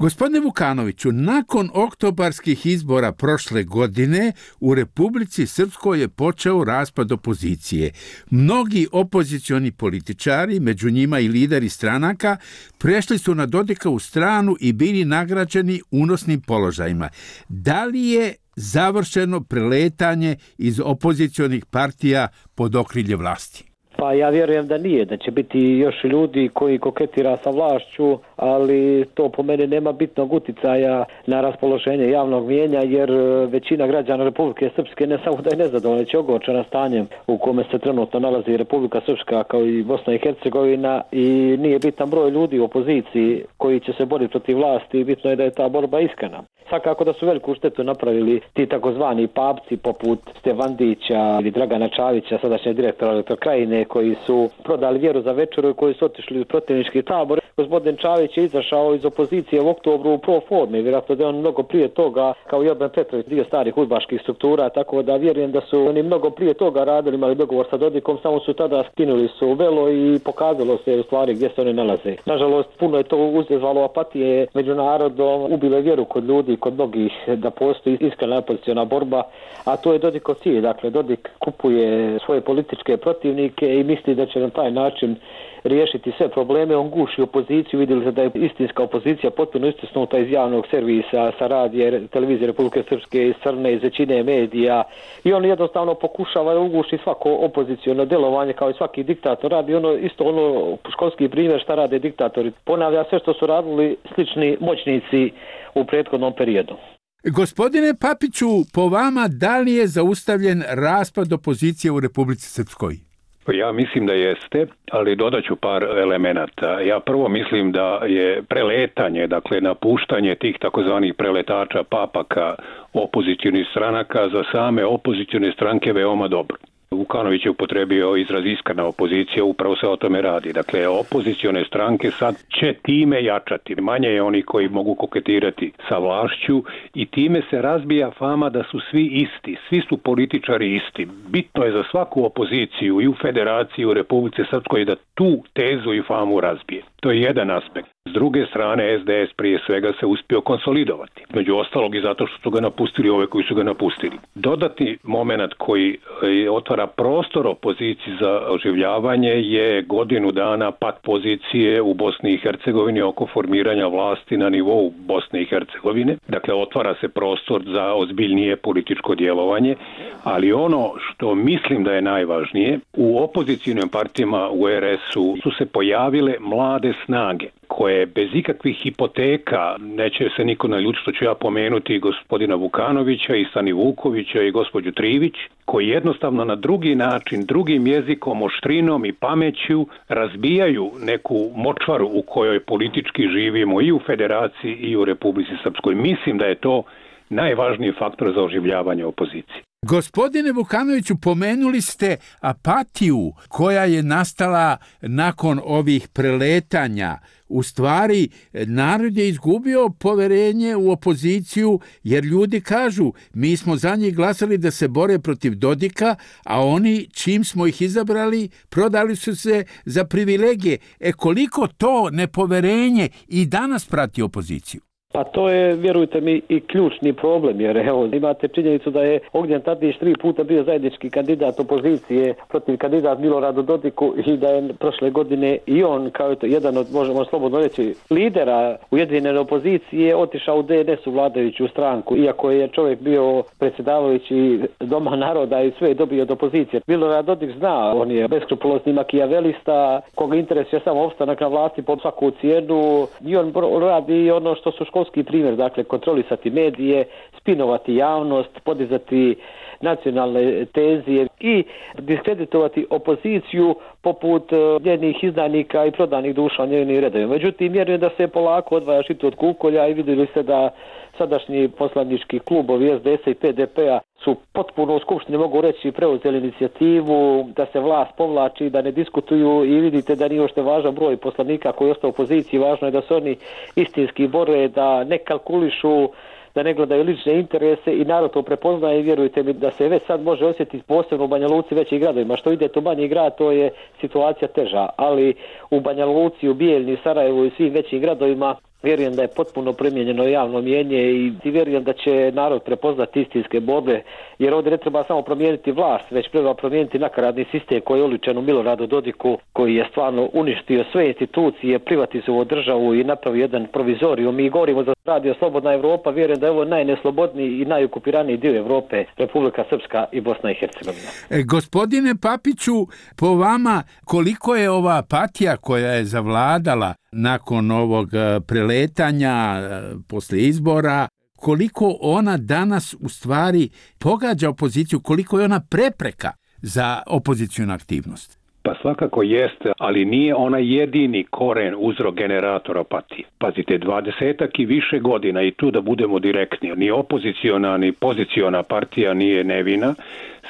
Gospodine Vukanoviću, nakon oktobarskih izbora prošle godine u Republici Srpskoj je počeo raspad opozicije. Mnogi opozicioni političari, među njima i lideri stranaka, prešli su na Dodikovu stranu i bili nagrađeni unosnim položajima. Da li je završeno preletanje iz opozicionih partija pod okrilje vlasti? Pa ja vjerujem da nije, da će biti još ljudi koji koketira sa vlašću, ali to po meni nema bitnog uticaja na raspoloženje javnog mijenja, jer većina građana Republike Srpske ne samo da je nezadovoljna, već je ogorčena stanjem u kome se trenutno nalazi Republika Srpska kao i Bosna i Hercegovina, i nije bitan broj ljudi u opoziciji koji će se boriti protiv vlasti, bitno je da je ta borba iskrena. Svakako da su veliku štetu napravili ti takozvani papci poput Stevandića ili Dragana Čavića, sadašnjeg direktora Elektrokrajine, koji su prodali vjeru za večeru i koji su otišli u protivnički tabor. Gospodin Čavić je izašao iz opozicije u oktobru u pro formi, vjerojatno da je on mnogo prije toga, kao i Orban Petrović, dio starih udbaških struktura, tako da vjerujem da su oni mnogo prije toga radili, imali dogovor sa Dodikom, samo su tada skinuli su velo i pokazalo se u stvari gdje se oni nalaze. Nažalost, puno je to uzezvalo apatije među narodom, ubilo vjeru kod ljudi, kod mnogih, da postoji iskrena opoziciona borba, a to je Dodikov cilj. Dakle, Dodik kupuje svoje političke protivnike i misli da će na taj način riješiti sve probleme. On guši opoziciju, vidjeli se da je istinska opozicija potpuno istisnuta iz javnog servisa, sa radije, televizije Republike Srpske, iz Crne, iz većine medija, i on jednostavno pokušava da uguši svako opoziciono djelovanje kao i svaki diktator. Radi ono školski primjer šta rade diktatori. Ponavlja sve što su radili slični moćnici u prethodnom periodu. Gospodine Papiću, po vama, da li je zaustavljen raspad opozicije u Republici Srpskoj? Ja mislim da jeste, ali dodat ću par elemenata. Ja prvo mislim da je preletanje, dakle napuštanje tih takozvanih preletača, papaka, opozicionih stranaka za same opozicione stranke veoma dobro. Vukanović je upotrebio izraz iskrena opozicija, upravo se o tome radi. Dakle, opozicione stranke sad će time jačati. Manje je oni koji mogu koketirati sa vlašću i time se razbija fama da su svi isti. Svi su političari isti. Bitno je za svaku opoziciju i u Federaciji, u Republici Srpskoj da tu tezu i famu razbije. To je jedan aspekt. S druge strane, SDS prije svega se uspio konsolidovati. Među ostalog i zato što su ga napustili ove koji su ga napustili. Dodatni moment koji otvara prostor opoziciji za oživljavanje je godinu dana pad pozicije u Bosni i Hercegovini oko formiranja vlasti na nivou Bosne i Hercegovine. Dakle, otvara se prostor za ozbiljnije političko djelovanje, ali ono što mislim da je najvažnije, u opozicijnim partijama u RS-u su se pojavile mlade snage koje bez ikakvih hipoteka, neće se niko naljutiti što ću ja pomenuti gospodina Vukanovića i Sani Vukovića i gospođu Trivić, koji jednostavno na drugi način, drugim jezikom, oštrinom i pameću razbijaju neku močvaru u kojoj politički živimo i u Federaciji i u Republici Srpskoj. Mislim da je to najvažniji faktor za oživljavanje opozicije. Gospodine Vukanoviću, pomenuli ste apatiju koja je nastala nakon ovih preletanja. U stvari, narod je izgubio poverenje u opoziciju, jer ljudi kažu, mi smo za njih glasali da se bore protiv Dodika, a oni, čim smo ih izabrali, prodali su se za privilegije. Koliko to nepoverenje i danas prati opoziciju? Pa to je, vjerujte mi, i ključni problem, jer evo, imate činjenicu da je Ognjen Tadić 3 puta bio zajednički kandidat opozicije protiv kandidat Miloradu Dodiku i da je prošle godine i on, kao jedan od, možemo slobodno reći, lidera ujedinjene opozicije, otišao u DNS u vladajuću stranku, iako je čovjek bio predsjedavajući Doma naroda i sve je dobio od opozicije. Milorad Dodik zna, on je beskrupulozni makijavelista, koga interesuje samo opstanak na vlasti po svaku cijenu i on radi ono što su školski primjer, dakle kontrolisati medije, spinovati javnost, podizati nacionalne tenzije i diskreditovati opoziciju poput njenih izdajnika i prodanih duša u njenim redovima. Međutim, vjerujem da se polako odvaja žito od kukolja i vidjeli ste da sadašnji poslanički klubovi SDS-a i PDP-a su potpuno u Skupštini, mogu reći, preuzeli inicijativu da se vlast povlači, da ne diskutuju i vidite da nije ošte važan broj poslanika koji je ostao u opoziciji. Važno je da se oni istinski bore, da ne kalkulišu, da ne gledaju lične interese i narod to prepoznaje i vjerujte mi da se već sad može osjetiti posebno u Banja Luci većih gradovima. Što idete u manji grad, to je situacija teža, ali u Banja Luci, u Bijeljni, Sarajevu i svim većim gradovima vjerujem da je potpuno promijenjeno javno mnijenje i vjerujem da će narod prepoznati istinske borbe, jer ovdje ne treba samo promijeniti vlast, već treba promijeniti nakaradni sistem koji je oličen u Miloradu Dodiku, koji je stvarno uništio sve institucije, privatizovao državu i napravio jedan provizorijum. Mi govorimo za Radio Slobodna Evropa, vjerujem da je ovo najneslobodniji i najukupiraniji dio Evrope, Republika Srpska i Bosna i Hercegovina. Gospodine Papiću, po vama koliko je ova apatija koja je zavladala nakon ovog preletanja posle izbora, koliko ona danas u stvari pogađa opoziciju, koliko je ona prepreka za opozicijnu aktivnost? Pa svakako jeste, ali nije ona jedini koren, uzrok, generator apatije. Pazite, 20 i više godina, i tu da budemo direktni, ni opoziciona ni poziciona partija nije nevina,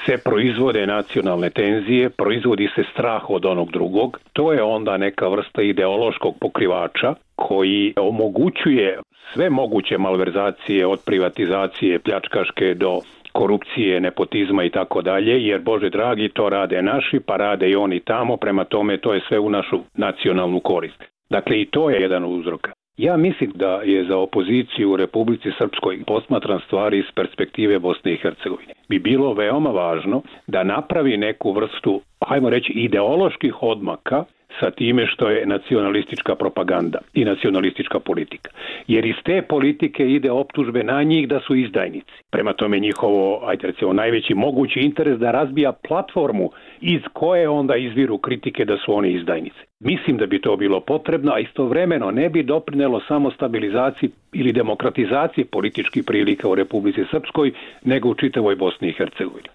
se proizvode nacionalne tenzije, proizvodi se strah od onog drugog. To je onda neka vrsta ideološkog pokrivača koji omogućuje sve moguće malverzacije od privatizacije pljačkaške do korupcije, nepotizma i tako dalje, jer Bože dragi, to rade naši, pa rade i oni tamo, prema tome to je sve u našu nacionalnu korist. Dakle, i to je jedan od uzroka. Ja mislim da je za opoziciju u Republici Srpskoj, posmatran stvari iz perspektive Bosne i Hercegovine, bi bilo veoma važno da napravi neku vrstu, hajmo reći, ideoloških odmaka sa time što je nacionalistička propaganda i nacionalistička politika. Jer iz te politike ide optužbe na njih da su izdajnici. Prema tome njihovo, ajde recimo, najveći mogući interes da razbija platformu iz koje onda izviru kritike da su oni izdajnici. Mislim da bi to bilo potrebno, a istovremeno ne bi doprinelo samo stabilizaciji ili demokratizaciji političkih prilika u Republici Srpskoj, nego u čitavoj Bosni i Hercegovini.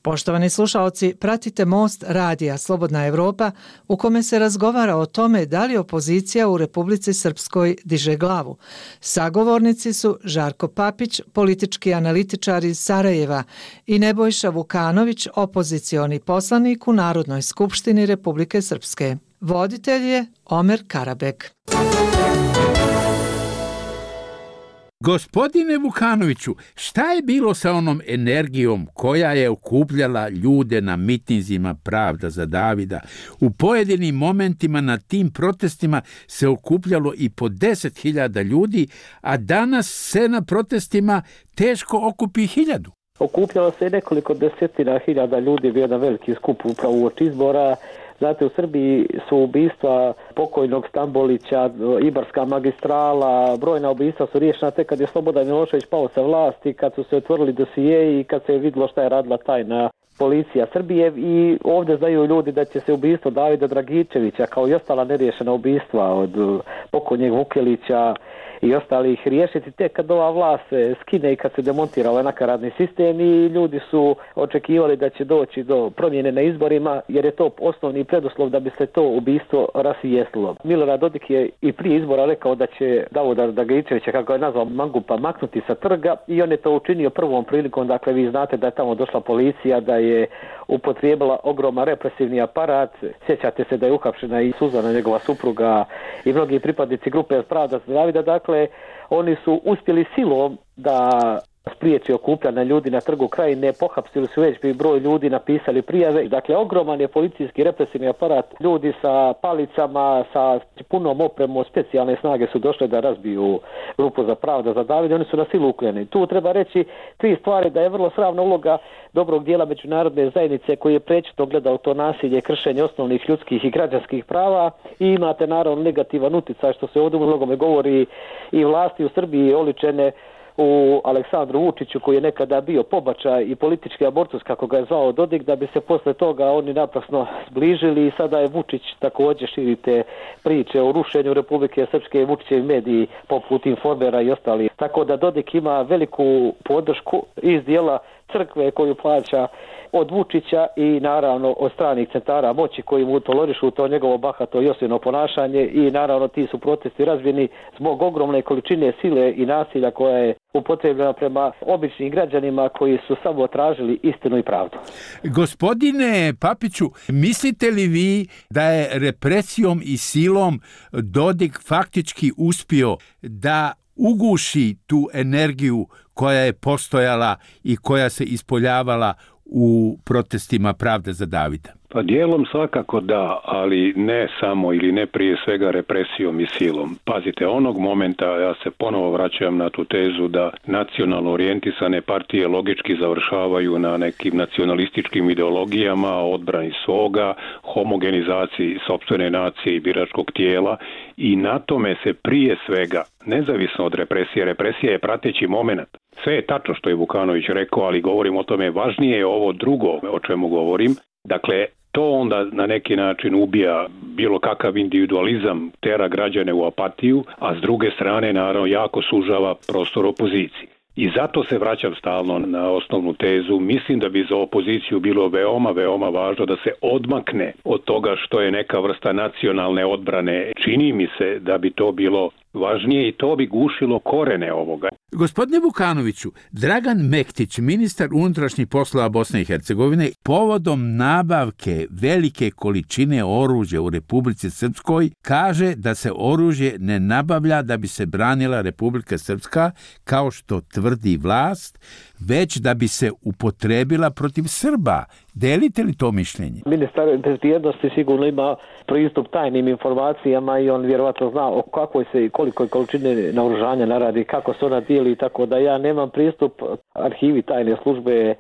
Poštovani slušaoci, pratite Most radija Slobodna Evropa u kome se razgovara o tome da li opozicija u Republici Srpskoj diže glavu. Sagovornici su Žarko Papić, politički analitičar iz Sarajeva, i Nebojša Vukanović, opozicioni poslanik u Narodnoj skupštini Republike Srpske. Voditelj je Omer Karabek. Gospodine Vukanoviću, šta je bilo sa onom energijom koja je okupljala ljude na mitinzima Pravda za Davida? U pojedinim momentima na tim protestima se okupljalo i po 10.000 ljudi, a danas se na protestima teško okupi 1.000. Okupljalo se nekoliko desetina hiljada ljudi, bio jedan veliki skup upravo uoči izbora. Znate, u Srbiji su ubistva pokojnog Stambolića, Ibarska magistrala, brojna ubistva su riješena tek kad je Slobodan Milošević pao sa vlasti, kad su se otvorili dosijeji i kad se je vidjelo šta je radila tajna policija Srbije. I ovdje znaju ljudi da će se ubistvo Davida Dragičevića, kao i ostala neriješena ubistva od pokojnjeg Vukelića i ostalih, riješiti tek kad ova vlast se skine i kad se demontira ovaj nakaradni sistem, i ljudi su očekivali da će doći do promjene na izborima, jer je to osnovni preduslov da bi se to ubistvo rasvijetlilo. Milorad Dodik je i prije izbora rekao da će Davida Dragičevića, kako je nazvao, mangupa, maknuti sa trga, i on je to učinio prvom prilikom. Dakle, vi znate da je tamo došla policija, da je upotrijebila ogroman represivni aparat. Sjećate se da je uhapšena i Suzana, njegova supruga, i mnogi pripadnici grupe Pravda za Davida. Dakle, oni su uspjeli silom da spriječi okupljanje ljudi na Trgu Krajine, pohapsili su već broj ljudi, napisali prijave. Dakle, ogroman je policijski represivni aparat, ljudi sa palicama, sa punom opremom, specijalne snage su došle da razbiju grupu za Pravda za Davida, oni su na silu ukljeni. Tu treba reći 3 stvari: da je vrlo sramna uloga dobrog dijela međunarodne zajednice koji je prečito gledao to nasilje, kršenje osnovnih ljudskih i građanskih prava, i imate naravno negativan utjecaj, što se ovdje u mnogome govori, i vlasti u Srbiji oličene u Aleksandru Vučiću, koji je nekada bio pobačaj i politički abortus, kako ga je zvao Dodik, da bi se posle toga oni naprasno zbližili, i sada je Vučić također širite priče o rušenju Republike Srpske i Vučićevi mediji poput Informera i ostali. Tako da Dodik ima veliku podršku iz dijela crkve koju plaća od Vučića i naravno od stranih centara moći koji mu tolerišu to njegovo bahato i osilno ponašanje, i naravno ti su protesti razvijeni zbog ogromne količine sile i nasilja koja je upotrebljena prema običnim građanima koji su samo tražili istinu i pravdu. Gospodine Papiću, mislite li vi da je represijom i silom Dodik faktički uspio da uguši tu energiju koja je postojala i koja se ispoljavala u protestima Pravde za Davida? Pa dijelom svakako da, ali ne samo ili ne prije svega represijom i silom. Pazite, onog momenta, ja se ponovo vraćam na tu tezu da nacionalno orijentisane partije logički završavaju na nekim nacionalističkim ideologijama, odbrani svoga, homogenizaciji sopstvene nacije i biračkog tijela, i na tome se prije svega, nezavisno od represije, represija je prateći moment. Sve je tačno što je Vukanović rekao, ali govorim o tome, važnije je ovo drugo o čemu govorim. Dakle, to onda na neki način ubija bilo kakav individualizam, tera građane u apatiju, a s druge strane naravno jako sužava prostor opoziciji. I zato se vraćam stalno na osnovnu tezu. Mislim da bi za opoziciju bilo veoma, veoma važno da se odmakne od toga što je neka vrsta nacionalne odbrane. Čini mi se da bi to bilo važnije i to bi gušilo korene ovoga. Gospodine Vukanoviću, Dragan Mektić, ministar unutrašnjih poslova Bosne i Hercegovine, povodom nabavke velike količine oružja u Republici Srpskoj, kaže da se oružje ne nabavlja da bi se branila Republika Srpska, kao što tvrdi vlast, već da bi se upotrebila protiv Srba. Delite li to mišljenje? Ministar bezbjednosti sigurno ima pristup tajnim informacijama i on vjerovatno zna o kakvoj se i kolikoj količine naoružanja naradi, kako se ona dijeli, tako da ja nemam pristup arhivi tajne službe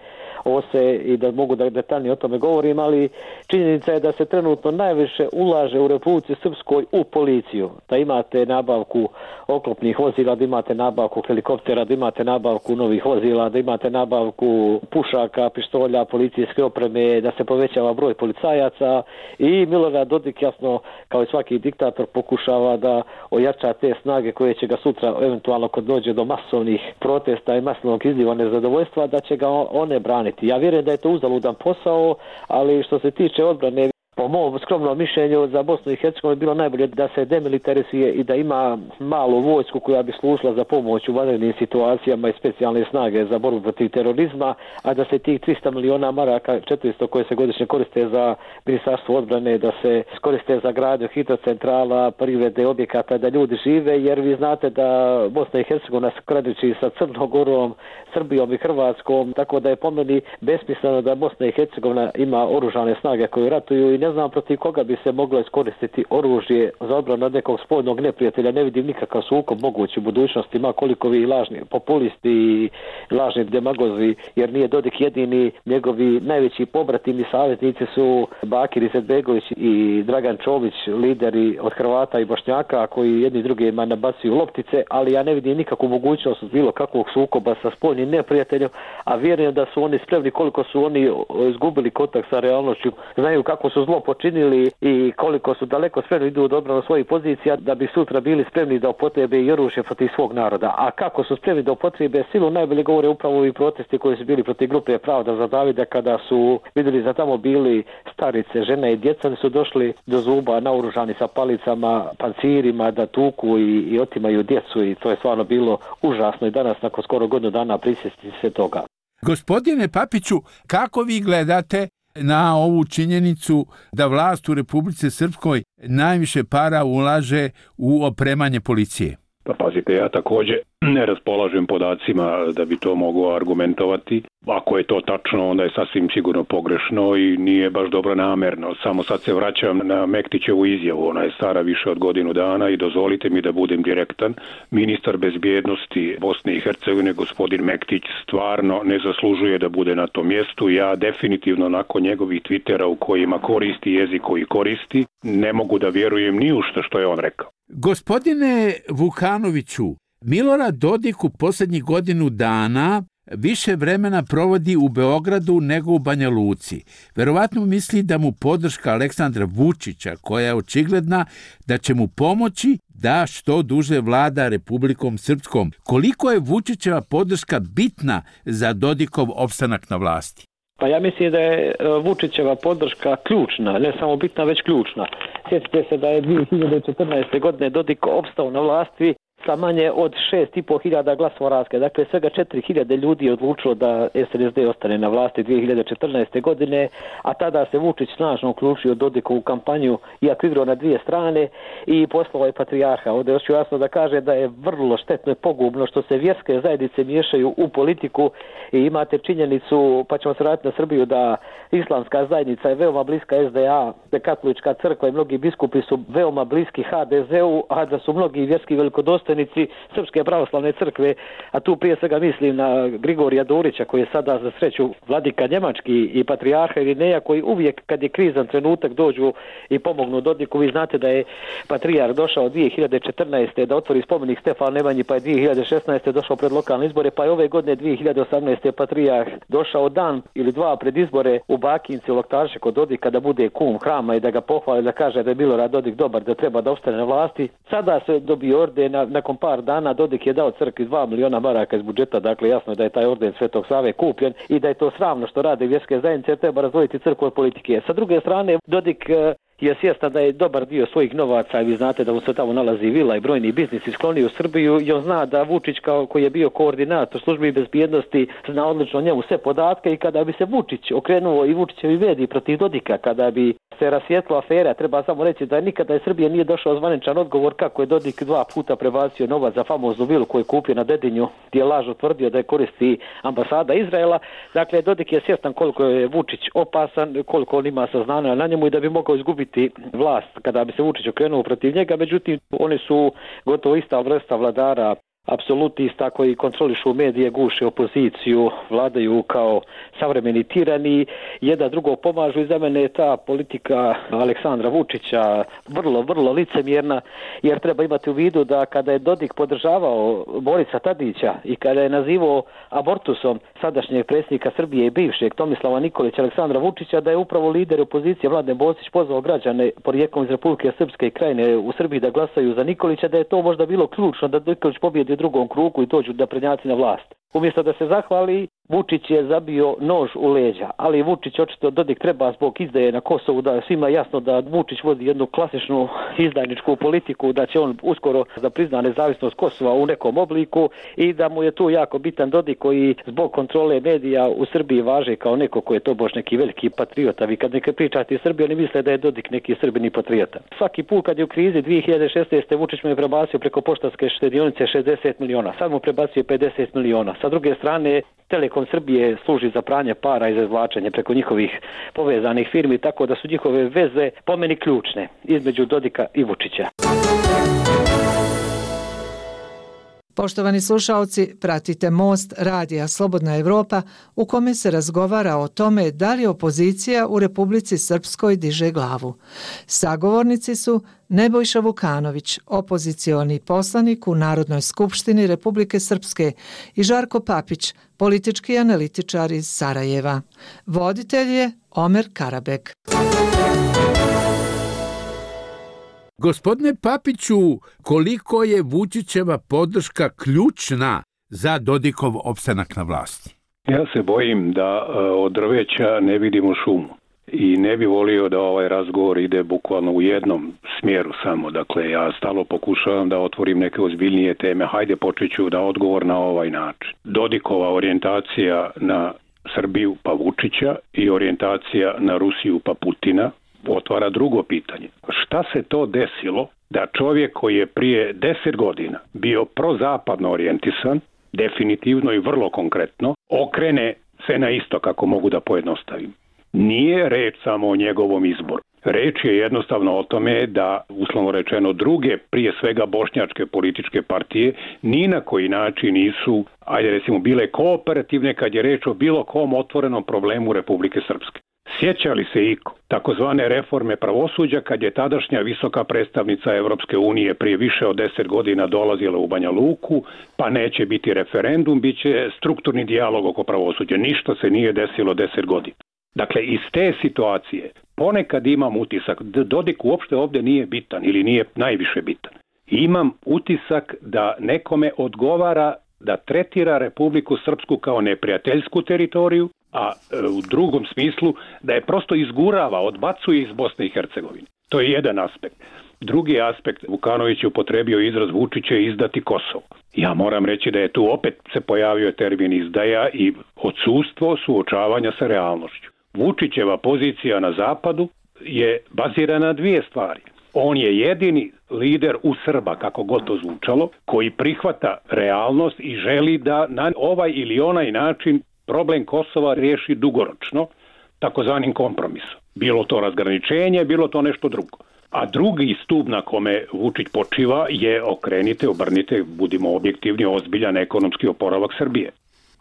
OSE i da mogu da detaljnije o tome govorim, ali činjenica je da se trenutno najviše ulaže u Republici Srpskoj u policiju. Da imate nabavku oklopnih vozila, da imate nabavku helikoptera, da imate nabavku novih vozila, da imate nabavku pušaka, pištolja, policijske opreme, da se povećava broj policajaca, i Milorad Dodik, jasno, kao i svaki diktator, pokušava da ojača te snage koje će ga sutra, eventualno kad dođe do masovnih protesta i masovnog izliva nezadovoljstva, da će ga one braniti. neprijeti. Ja vjerujem da je to uzaludan posao, ali što se tiče odbrane, po mom skromnom mišljenju za Bosnu i Hercegovinu bilo najbolje da se demilitarizuje i da ima malu vojsku koja bi služila za pomoć u vanrednim situacijama i specijalne snage za borbu protiv terorizma, a da se tih 300 miliona maraka, 400 koje se godišnje koriste za ministarstvo odbrane, da se koriste za gradnju hidrocentrala, privrede objekata, da ljudi žive, jer vi znate da Bosna i Hercegovina se graniči sa Crnom Gorom, Srbijom i Hrvatskom, tako da je po meni besmisleno da Bosna i Hercegovina ima oružane snage koje ratuju i ne znam protiv koga bi se moglo iskoristiti oružje za odbranu od nekog spoljnog neprijatelja. Ne vidim nikakav sukob mogući u budućnosti, ma koliko vi lažni populisti i lažni demagozi, jer nije Dodik jedini, njegovi najveći pobratimi i savjetnici su Bakir Izetbegović i Dragan Čović, lideri od Hrvata i Bošnjaka koji jedni drugima nabacuju loptice, ali ja ne vidim nikakvu mogućnost bilo kakvog sukoba sa spoljnim neprijateljem, a vjerujem da su oni spremni koliko su oni izgubili kontakt sa realnošću, znaju kako su zlo počinili i koliko su daleko spremni idu od odbrane svojih pozicija da bi sutra bili spremni da upotrebe i oružje protiv svog naroda. A kako su spremni da upotrebe silu najbolje govore upravo i protesti koji su bili protiv grupe Pravda za Davida kada su vidjeli da tamo bili starice, žene i djeca, oni su došli do zuba naoružani sa palicama, pancirima da tuku i otimaju djecu i to je stvarno bilo užasno i danas nakon skoro godinu dana prisjesti se toga. Gospodine Papiću, kako vi gledate na ovu činjenicu da vlast u Republici Srpskoj najviše para ulaže u opremanje policije? Pa pazite, ja također ne raspolažem podacima da bi to mogao argumentovati. Ako je to tačno, onda je sasvim sigurno pogrešno i nije baš dobro namerno. Samo sad se vraćam na Mektićevu izjavu. Ona je stara više od godinu dana i dozvolite mi da budem direktan. Ministar bezbjednosti Bosne i Hercegovine, gospodin Mektić, stvarno ne zaslužuje da bude na tom mjestu. Ja definitivno nakon njegovih Twittera u kojima koristi jezik koji koristi, ne mogu da vjerujem ni u što je on rekao. Gospodine Vukanoviću, Milorad Dodik u posljednjih godinu dana više vremena provodi u Beogradu nego u Banja Luci. Verovatno misli da mu podrška Aleksandra Vučića, koja je očigledna da će mu pomoći da što duže vlada Republikom Srpskom. Koliko je Vučićeva podrška bitna za Dodikov opstanak na vlasti? Pa ja mislim da je Vučićeva podrška ključna, ne samo bitna, već ključna. Sjetite se da je 2014. godine Dodik opstao na vlasti sa manje od 6.500 glasova razlike. Dakle, svega 4.000 ljudi je odlučilo da SNSD ostane na vlasti 2014. godine, a tada se Vučić snažno uključio Dodikovu kampanju, iako igrao na dvije strane i poslao je patrijarha. Ovdje hoću jasno da kaže da je vrlo štetno i pogubno što se vjerske zajednice miješaju u politiku i imate činjenicu, pa ćemo se vratiti na Srbiju, da islamska zajednica je veoma bliska SDA, da katolička crkva i mnogi biskupi su veoma bliski HDZ-u, a da su mnogi vjerski velikodostojnici Srpske pravoslavne crkve, a tu prije svega mislim na Grigorija Dorića koji je sada za sreću vladika njemački i patrijarha Irineja koji uvijek kad je krizan trenutak dođu i pomognu Dodiku. Vi znate da je patrijarh došao 2014. da otvori spomenik Stefanu Nemanji, pa je 2016. došao pred lokalne izbore, pa je ove godine 2018. patrijarh došao dan ili dva pred izbore u Bakinci u Loktarše kod Dodika da bude kum hrama i da ga pohvali, da kaže da je Milorad Dodik dobar, da treba da ostane na vlasti. Sada se dobio orden, nakon par dana Dodik je dao crkvi 2 miliona maraka iz budžeta, dakle jasno je da je taj orden Svetog Save kupljen i da je to sramno što rade vjerske zajednice, jer treba razdvojiti crkvu od politike. Sa druge strane, Dodik je svjestan da je dobar dio svojih novaca, i vi znate da mu se tamo nalazi vila i brojni biznisi skloni u Srbiju, i on zna da Vučić koji je bio koordinator službi bezbjednosti zna odlično njemu sve podatke, i kada bi se Vučić okrenuo i Vučićevi mediji protiv Dodika, kada bi se rasvijetlila afera, treba samo reći da nikada iz Srbije nije došao zvaničan odgovor kako je Dodik 2 puta prebacio novac za famoznu vilu koju je kupio na Dedinju, gdje je lažno tvrdio da je koristi ambasada Izraela. Dakle, Dodik je svjestan koliko je Vučić opasan, koliko on ima saznanja na njemu i da bi mogao izgubiti vlast kada bi se Vučić okrenuo protiv njega. Međutim, oni su gotovo ista vrsta vladara, apsolutista koji kontrolišu medije, guše opoziciju, vladaju kao savremeni tirani, jedan drugog pomažu, i za mene je ta politika Aleksandra Vučića vrlo licemjerna, jer treba imati u vidu da kada je Dodik podržavao Borisa Tadića i kada je nazivao abortusom sadašnjeg predsjednika Srbije i bivšeg Tomislava Nikolića, Aleksandra Vučića, da je upravo lider opozicije Mladen Bosić pozvao građane porijeklom iz Republike Srpske Krajine u Srbiji da glasaju za Nikolića, da je to možda bilo ključno da Nikolić pobjedi u drugom krugu i dođu da prednjaci na vlast. Umjesto da se zahvali Vučić je zabio nož u leđa, ali Vučić očito Dodik treba zbog izdaje na Kosovu, da svima jasno da Vučić vodi jednu klasičnu izdajničku politiku, da će on uskoro da prizna nezavisnost Kosova u nekom obliku i da mu je tu jako bitan Dodik koji zbog kontrole medija u Srbiji važe kao neko ko je to bož neki veliki patriota. Vi kad neke pričate Srbiji, oni misle da je Dodik neki srbini patriota. Svaki put kad je u krizi 2016. Vučić mu je prebacio preko poštanske štedionice 60 miliona, sad mu prebacio 50 miliona. Sa druge strane, Telekom Srbije služi za pranje para i za izvlačenje preko njihovih povezanih firmi, tako da su njihove veze po meni ključne između Dodika i Vučića. Poštovani slušaoci, pratite Most radija Slobodna Evropa u kome se razgovara o tome da li opozicija u Republici Srpskoj diže glavu. Sagovornici su Nebojša Vukanović, opozicioni poslanik u Narodnoj skupštini Republike Srpske i Žarko Papić, politički analitičar iz Sarajeva. Voditelj je Omer Karabek. Gospodine Papiću, koliko je Vučićeva podrška ključna za Dodikov opstanak na vlasti? Ja se bojim da od drveća ne vidimo šumu i ne bi volio da ovaj razgovor ide bukvalno u jednom smjeru samo. Dakle, ja stalno pokušavam da otvorim neke ozbiljnije teme. Hajde počet ću da odgovor na ovaj način. Dodikova orijentacija na Srbiju pa Vučića i orijentacija na Rusiju pa Putina otvara drugo pitanje. Šta se to desilo da čovjek koji je prije 10 godina bio prozapadno orijentisan, definitivno i vrlo konkretno, okrene se na isto, kako mogu da pojednostavim? Nije reč samo o njegovom izboru. Reč je jednostavno o tome da, uslovno rečeno, druge, prije svega bošnjačke političke partije, ni na koji način nisu, ajde recimo, bile kooperativne kad je reč o bilo kom otvorenom problemu Republike Srpske. Sjeća li se iko takozvane reforme pravosuđa kad je tadašnja visoka predstavnica Evropske unije prije više od 10 godina dolazila u Banja Luku, pa neće biti referendum, bit će strukturni dijalog oko pravosuđa. Ništa se nije desilo 10 godina. Dakle, iz te situacije ponekad imam utisak da Dodik uopšte ovdje nije bitan ili nije najviše bitan. Imam utisak da nekome odgovara da tretira Republiku Srpsku kao neprijateljsku teritoriju, a u drugom smislu da je prosto izgurava, odbacuje iz Bosne i Hercegovine. To je jedan aspekt. Drugi aspekt, Vukanović je upotrebio izraz Vučić će izdati Kosovo. Ja moram reći da je tu opet se pojavio termin izdaja i odsustvo suočavanja sa realnošću. Vučićeva pozicija na zapadu je bazirana na dvije stvari. On je jedini lider u Srba, kako god to zvučalo, koji prihvata realnost i želi da na ovaj ili onaj način problem Kosova riješi dugoročno, takozvanim kompromisom. Bilo to razgraničenje, bilo to nešto drugo. A drugi stup na kome Vučić počiva je okrenite, obrnite, budimo objektivni, ozbiljan ekonomski oporavak Srbije.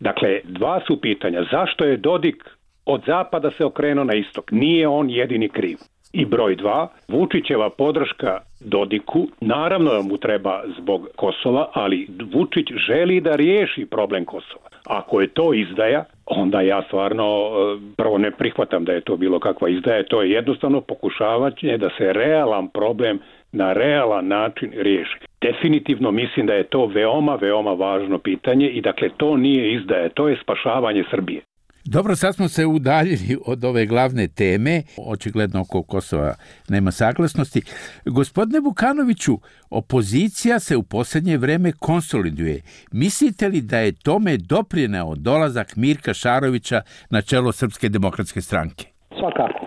Dakle, dva su pitanja. Zašto je Dodik od zapada se okrenuo na istok? Nije on jedini kriv. I broj dva, Vučićeva podrška Dodiku, naravno mu treba zbog Kosova, ali Vučić želi da riješi problem Kosova. Ako je to izdaja, onda ja stvarno prvo ne prihvatam da je to bilo kakva izdaja, to je jednostavno pokušavanje da se realan problem na realan način riješi. Definitivno mislim da je to veoma, veoma važno pitanje i dakle to nije izdaja, to je spašavanje Srbije. Dobro, sad smo se udaljili od ove glavne teme, očigledno oko Kosova nema saglasnosti. Gospodine Vukanoviću, opozicija se u posljednje vrijeme konsoliduje. Mislite li da je tome doprineo dolazak Mirka Šarovića na čelo Srpske demokratske stranke? Svakako.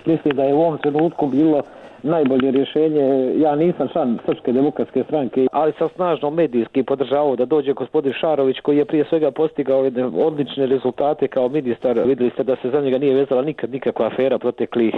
Mislim da je u ovom trenutku bilo najbolje rješenje. Ja nisam član Srpske demokratske stranke, ali sam snažno medijski podržavao da dođe gospodin Šarović, koji je prije svega postigao odlične rezultate kao ministar. Vidjeli ste da se za njega nije vezala nikakva afera proteklih,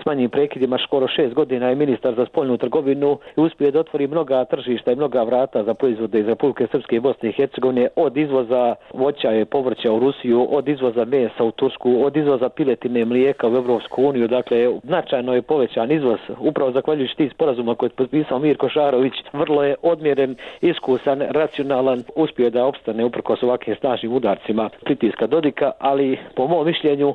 s manjim prekidima, skoro 6 godina je ministar za spoljnu trgovinu i uspio da otvori mnoga tržišta i mnoga vrata za proizvode iz Republike Srpske i Bosne i Hercegovine, od izvoza voća i povrća u Rusiju, od izvoza mesa u Tursku, od izvoza piletine i mlijeka u Evropsku uniju. Dakle, značajno je povećan izvoz. Upravo zahvaljujući tih sporazuma koje je potpisao Mirko Šarović, vrlo je odmjeren, iskusan, racionalan, uspio da opstane uprkos ovakvim snažnim udarcima pritiska Dodika, ali po mom mišljenju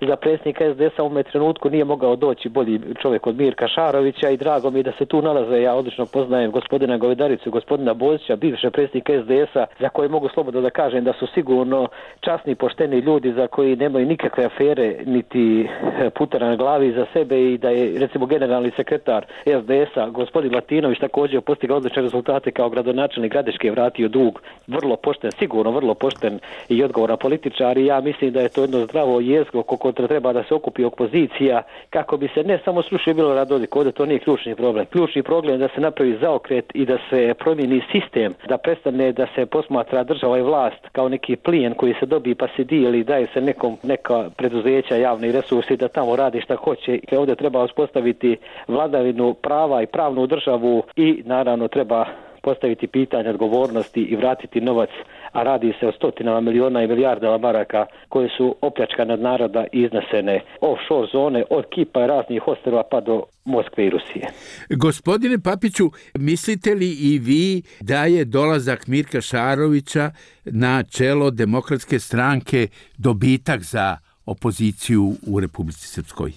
za predsjednika SDS-a u ovom trenutku nije mogao doći bolji čovjek od Mirka Šarovića i drago mi je da se tu nalaze. Ja odlično poznajem gospodina Govedaricu, gospodina Bozića, bivše predsjednika SDS-a, za koje mogu slobodno da kažem da su sigurno časni, pošteni ljudi za koji nemaju nikakve afere niti putera na glavi za sebe i da je recimo generalni sekretar SDS-a gospodin Latinović također postigao odlične rezultate kao gradonačelnik Gradiške, vratio dug, vrlo pošten, sigurno vrlo pošten i odgovoran političar i ja mislim da je to jedno zdravo jezgro oko koje treba da se okupi opozicija kako bi se ne samo srušio Milorad Dodik, ovdje to nije ključni problem. Ključni problem je da se napravi zaokret i da se promijeni sistem, da prestane da se posmatra država i vlast kao neki plijen koji se dobije pa se dijeli, daje se nekom neka preduzeća, javni resursi da tamo radi šta hoće. Ovdje treba uspostaviti vladavinu prava i pravnu državu i naravno treba postaviti pitanje odgovornosti i vratiti novac, a radi se o stotinama miliona i milijardama maraka koje su opljačkane od naroda i iznesene offshore zone od Kipa i raznih ostrva pa do Moskve i Rusije. Gospodine Papiću, mislite li i vi da je dolazak Mirka Šarovića na čelo Demokratske stranke dobitak za opoziciju u Republici Srpskoj?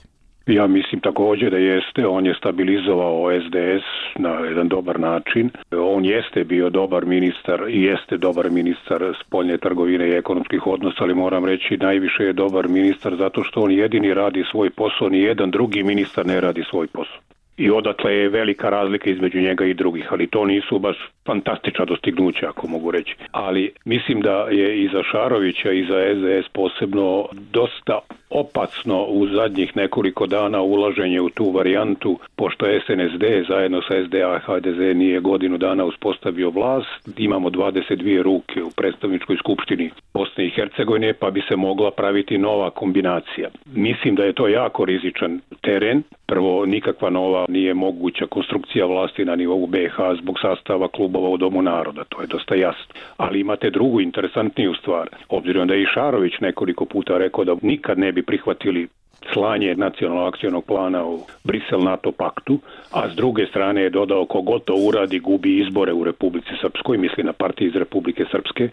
Ja mislim također da jeste, on je stabilizovao SDS na jedan dobar način. On jeste bio dobar ministar i jeste dobar ministar spoljne trgovine i ekonomskih odnosa, ali moram reći najviše je dobar ministar zato što on jedini radi svoj posao, ni jedan drugi ministar ne radi svoj posao. I odatle je velika razlika između njega i drugih, ali to nisu baš fantastična dostignuća, ako mogu reći. Ali mislim da je i za Šarovića i za SDS posebno dosta opasno u zadnjih nekoliko dana ulaženje u tu varijantu, pošto SNSD zajedno sa SDA HDZ nije godinu dana uspostavio vlast, imamo 22 ruke u predstavničkoj skupštini Bosne i Hercegovine, pa bi se mogla praviti nova kombinacija. Mislim da je to jako rizičan teren. Prvo, nikakva nova nije moguća konstrukcija vlasti na nivou BiH zbog sastava klubova u Domu naroda, to je dosta jasno. Ali imate drugu interesantniju stvar. Obzirom da je i Šarović nekoliko puta rekao da nikad ne bi prihvatili slanje nacionalnog akcionog plana u Brisel NATO paktu, a s druge strane je dodao kogod to uradi gubi izbore u Republici Srpskoj, misli na partiju iz Republike Srpske,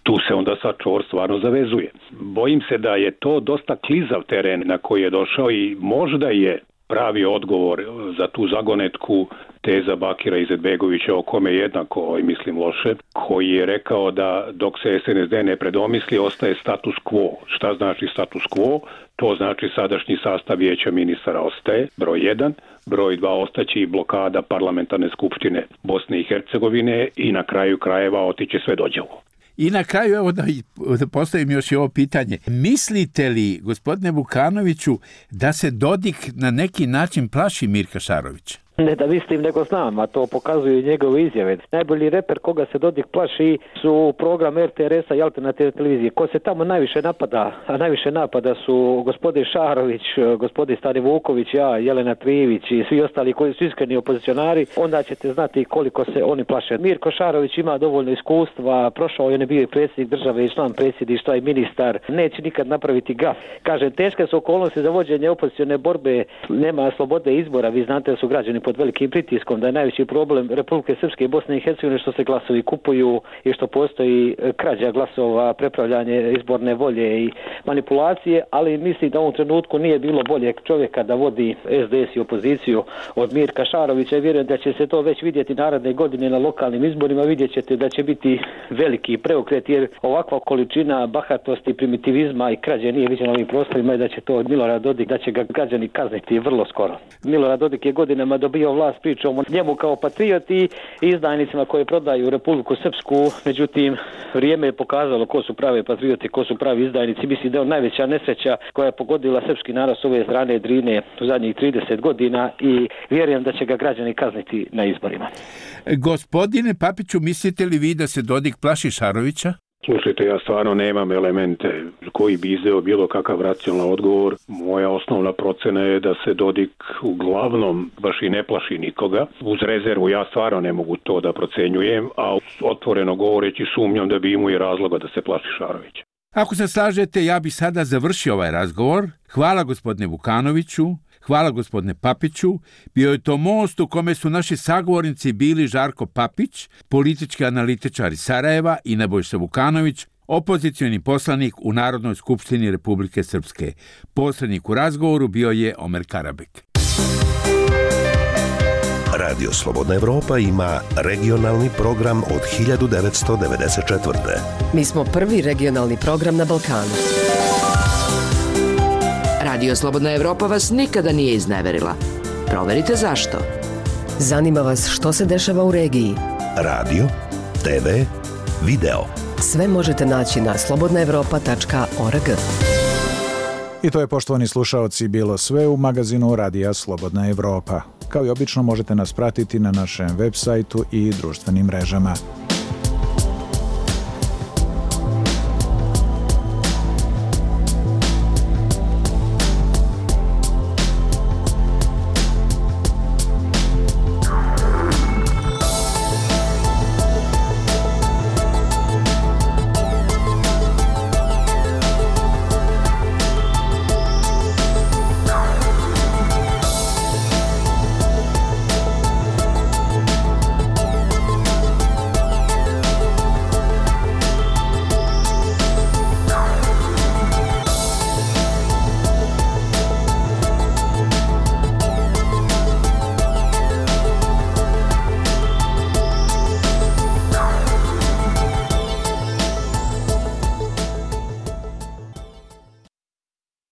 tu se onda sad čvor stvarno zavezuje. Bojim se da je to dosta klizav teren na koji je došao i možda je pravi odgovor za tu zagonetku teza Bakira Izetbegovića, o kome jednako mislim loše, koji je rekao da dok se SNSD ne predomisli ostaje status quo. Šta znači status quo? To znači sadašnji sastav vijeća ministara ostaje, broj 1, broj 2 ostaće i blokada parlamentarne skupštine Bosne i Hercegovine i na kraju krajeva otiće sve dođevo. I na kraju, evo da postavim još i ovo pitanje. Mislite li, gospodine Vukanoviću, da se Dodik na neki način plaši Mirka Šarovića? Ne da mislim, nego znam, a to pokazuju njegove izjave. Najbolji reper koga se Dodik plaši su program RTRS-a i alternativne televizije. Ko se tamo najviše napada, a najviše napada su gospodin Šarović, gospodin Stani Vuković, ja, Jelena Trivić i svi ostali koji su iskreni opozicionari, onda ćete znati koliko se oni plaše. Mirko Šarović ima dovoljno iskustva, prošao je, on je bio i predsjednik države i član predsjedništva i ministar, neće nikad napraviti gaf. Kažem, teške su okolnosti za vođenje opozicione borbe, nema slobode izbora, vi znate da su građani pod velikim pritiskom, da je najveći problem Republike Srpske i Bosne i Hercegovine što se glasovi kupuju i što postoji krađa glasova, prepravljanje izborne volje i manipulacije, ali mislim da u ovom trenutku nije bilo boljeg čovjeka da vodi SDS i opoziciju od Mirka Šarovića i vjerujem da će se to već vidjeti naredne godine na lokalnim izborima, vidjet ćete da će biti veliki preokret jer ovakva količina bahatosti, primitivizma i krađe nije viđena ovim prostorima i da će to od Milorada Dodik, da će ga građani kazniti vrlo skoro. Milorad Dodik je godinama dobio vlast pričom o njemu kao patrioti i izdajnicima koje prodaju Republiku Srpsku, međutim vrijeme je pokazalo ko su pravi patrioti, ko su pravi izdajnici. Mislim da je najveća nesreća koja je pogodila srpski narod s ove strane Drine u zadnjih 30 godina i vjerujem da će ga građani kazniti na izborima. Gospodine Papiću, mislite li vi da se Dodik plaši Šarovića? Slušajte, ja stvarno nemam elemente koji bi izdeo bilo kakav racionalan odgovor. Moja osnovna procena je da se Dodik uglavnom baš i ne plaši nikoga. Uz rezervu ja stvarno ne mogu to da procenjujem, a otvoreno govoreći sumnjam da bi imao i razloga da se plaši Šarovića. Ako se slažete, ja bih sada završio ovaj razgovor. Hvala gospodine Vukanoviću, hvala gospodine Papiću. Bio je to most u kome su naši sagovornici bili Žarko Papić, politički analitičar iz Sarajeva i Nebojša Vukanović, opozicioni poslanik u Narodnoj skupštini Republike Srpske. Posrednik u razgovoru bio je Omer Karabek. Radio Slobodna Evropa ima regionalni program od 1994. Mi smo prvi regionalni program na Balkanu. Radio Slobodna Evropa vas nikada nije izneverila. Proverite zašto. Zanima vas što se dešava u regiji. Radio, TV, video. Sve možete naći na slobodnaevropa.org. I to je, poštovani slušaoci, bilo sve u magazinu Radija Slobodna Evropa. Kao i obično možete nas pratiti na našem web sajtu i društvenim mrežama.